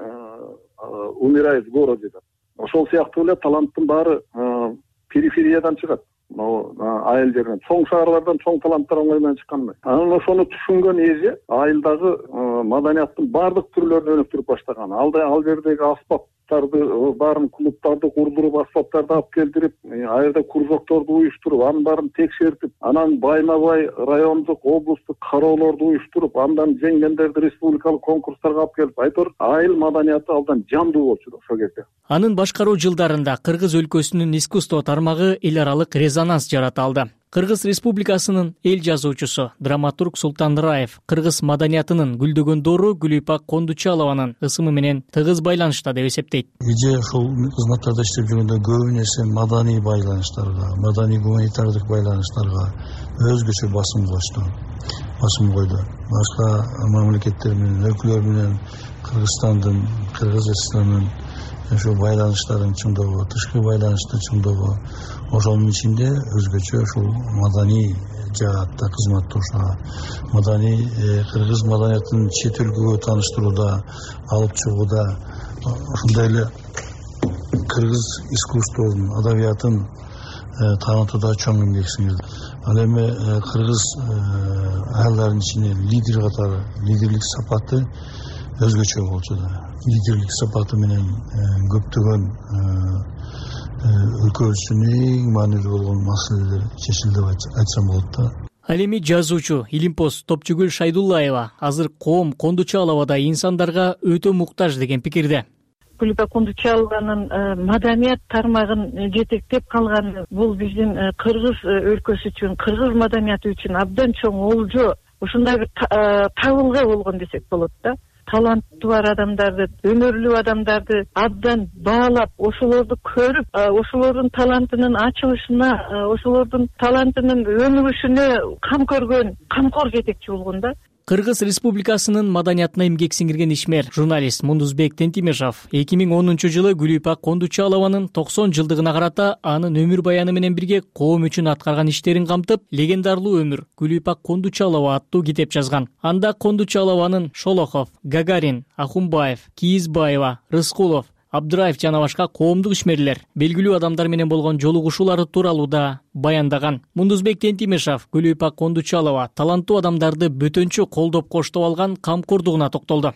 умирает в городе деп. Ошол сыяктуу эле таланттын баары перифериядан чыгат. Айыл жеринен, чоң шаарлардан чоң таланттар оңой менен чыккан эмес. Анан ошону түшүнгөн эже айылдагы маданияттын баардык түрлөрүн өнүктүрүп баштаган. Ал жердеги аспаптарды, баарын клубтарды курдуруп, аспаптарды алып келтирип, ал жерде кружокторду уюштуруп, анын баарын текшертип, анан байма-бай райондук, облустук кароолорду уюштуруп, андан жеңгендерди республикалык конкурстарга алып келип, айтор айыл маданияты абдан жандуу болчу ошол кезде. Анын башкаруу жылдарында Кыргыз өлкөсүнүн искусство тармагы эл аралык резонанс жарата алды. Кыргыз Республикасынын эл жазуучусу, драматург Султан Раев кыргыз маданиятынын гүлдөгөн доору Гүлүйпак Кондучалованын ысымы менен тыгыз байланышта деп эсептейт. Эже ушул кызматтарда иштеп жүргөндө көбү нерсе маданий байланыштарга, маданий гуманитардык байланыштарга өзгөчө басым койду. Башка мамлекеттер менен, өлкөлөр менен Кыргызстандын, Кыргызстандын ошол байланыштарын чыңдоого, тышкы байланышты чыңдоого, ошонун ичинде өзгөчө ушул маданий жаатта кызматташууга, маданий кыргыз маданиятын чет өлкөгө тааныштырууда, алып чыгууда, ошондой эле кыргыз искусствосун, адабиятын таанытууда чоң эмгек сиңирди. Ал эми кыргыз айылдарынын ичинде лидер катары, лидерлик сапаты өзгөчө болчу да. Лидерлик сапаты менен көптөгөн өлкөбүздүн эң маанилүү болгон маселелер чечилди деп айтсам болот да. Ал эми жазуучу Илимпоз Топчугүл Шайдуллаева азыр коом Кондучаловадой инсандарга өтө муктаж деген пикирде. Гүлүйпак Кондучалованын маданият тармагын жетектеп калганы бул биздин кыргыз өлкөсү үчүн, кыргыз маданияты үчүн абдан чоң олжо, ушундай бир табылга болгон десек болот да. Таланты бар адамдарды, өнөрлүү адамдарды абдан баалап, ошолорду көрүп, ошолордун талантынын ачылышына, ошолордун талантынын өнүгүшүнө кам көргөн, камкор жетекчи болгон да. Кыргыз Республикасынын маданиятына эмгек сиңирген ишмер, журналист Мундузбек Тентимешов 2010-жылы Гүлүйпак Кондучалованын 90 жылдыгына карата анын өмүр баяны менен бирге коом үчүн аткарган иштерин камтып, легендарлуу өмүр Гүлүйпак Кондучалова аттуу китеп жазган. Анда Кондучалованын Шолохов, Гагарин, Ахунбаев, Кийизбаева, Рыскулов, Абдыраев жана башка коомдук ишмерлер, белгилүү адамдар менен болгон жолугушуулары тууралуу да баяндаган. Мундузбек Тентимешов Гүлүйпак Кондучалова таланттуу адамдарды бөтөнчө колдоп коштоп алган камкордугуна токтолду.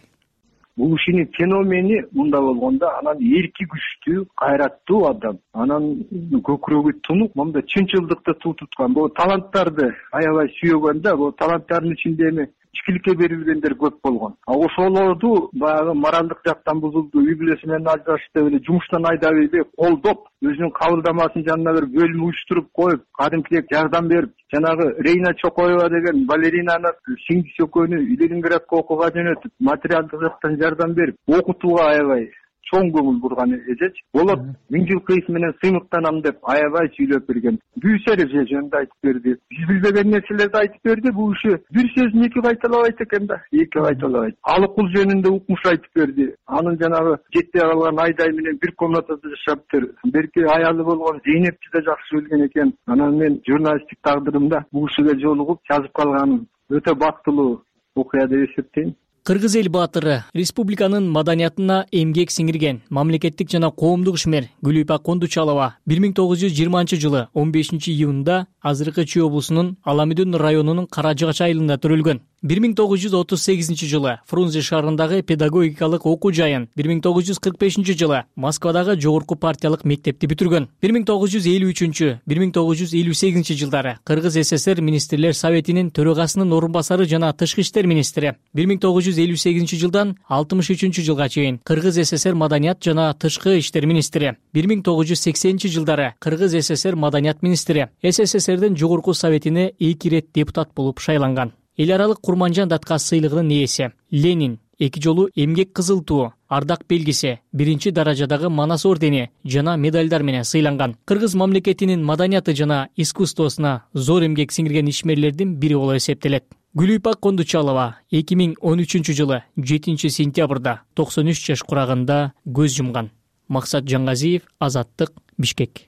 Бул кишинин феномени мында болгондо, анан эрки күчтүү, кайраттуу адам, анан көкүрөгү тунук, момда чынчылдыкты туу туткан. Бул таланттарды аябай сүйгөн да, бул таланттардын ичинде эми ичкиликке берилгендер көп болгон. Ошолорду баягы моралдык жактан бузулду, үй бүлөсү менен ажырашты, эле жумуштан айдап эле колдоп, өзүнүн кабылдамасын жанына бир бөлүм уюштуруп коюп, кадимкидей жардам берип, жанагы Рейна Чокоева деген балеринаны сиңдиси экөөнү Ленинградка окууга жөнөтүп, материалдык жактан жардам берип, окутууга аябай чоң көңүл бурган эжеч. Болот 1000 жыл кыйс менен сыймыктанам деп аябай сүйлөп берген. Бүүсөр эже жөнүндө айтып берди. Биз билбеген нерселерди айтып берди. Бул киши бир сөзүн эки кайталабайт экен да, эки кайталабайт. Алыкул жөнүндө укмуш айтып берди. Анын жанагы жетпей калган Айдай менен бир комнатада жашаптыр. Берки аялы болгон Зейнепти да жакшы билген экен. Анан мен журналисттик тагдырымда бул кишиге жолугуп жазып калганым өтө бактылуу окуя деп эсептейм. Кыргыз эл баатыры, республиканын маданиятына эмгек сиңирген мамлекеттик жана коомдук ишмер Гүлүйпак Кондучалова 1920-жылы 15-июнда азыркы Чүй облусунун Аламүдүн районунун Каражыгач айылында төрөлгөн. 1938 жылы Фрунзе шаарындагы педагогикалык окуу жайын, 1945 жылы Москвадагы жогорку партиялык мектепти бүтүргөн. 1953-1958 жылдары Кыргыз СССР министрлер советинин төрагасынын орун басары жана тышкы иштер министри. 1958 жылдан 63 жылга чейин Кыргыз СССР маданият жана тышкы иштер министри. 1980 жылдары Кыргыз СССР маданият министри. СССРдин жогорку советине 2 ирет депутат болуп шайланган. Эл аралык Курманжан Датка сыйлыгынын ээси. Ленин 2 жолу эмгек кызыл туу, ардак белгиси, 1 даражадагы Манас ордени жана медальдар менен сыйланган. Кыргыз мамлекетинин маданияты жана искусствосуна зор эмгек сиңирген ишмерлердин бири болуп эсептелет. Гүлүйпак Кондучалова 2013 жылы 7 сентябрда 93 жаш курагында көз жумган. Максат Жангазиев, Азаттык, Бишкек.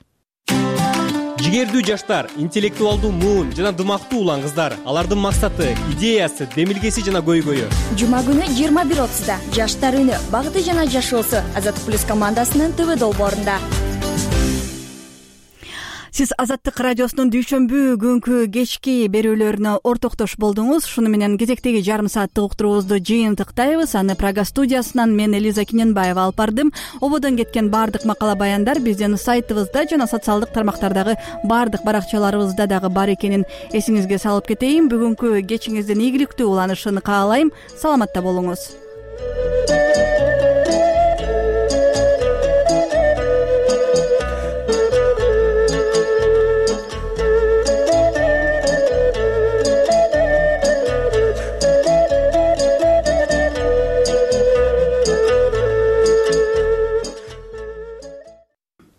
Жигердүү жаштар, интеллектуалдуу муун жана дымактуу улан кыздар. Алардын максаты, идеясы, демилгеси жана көйгөйү. Жума күнү 21:30 Жаштар үнү, багыты жана жашоосу Азаттык плюс командасынын ТВ долбоорунда. Сиз Азаттык радиосунун дүйшөмбү күнкү кечки берүүлөрүнө ортоктош болдуңуз. Шуну менен кезектеги жарым сааттык уктуруубузду жыйынтыктайбыз. Аны Прага студиясынан мен Элиза Киненбаева алып бардым. Ободон кеткен баардык макала баяндар биздин сайтыбызда жана социалдык тармактардагы баардык баракчаларыбызда дагы бар экенин эсиңизге салып кетейин. Бүгүнкү кечиңиздин ийгиликтүү уланышын каалайм. Саламатта болуңуз.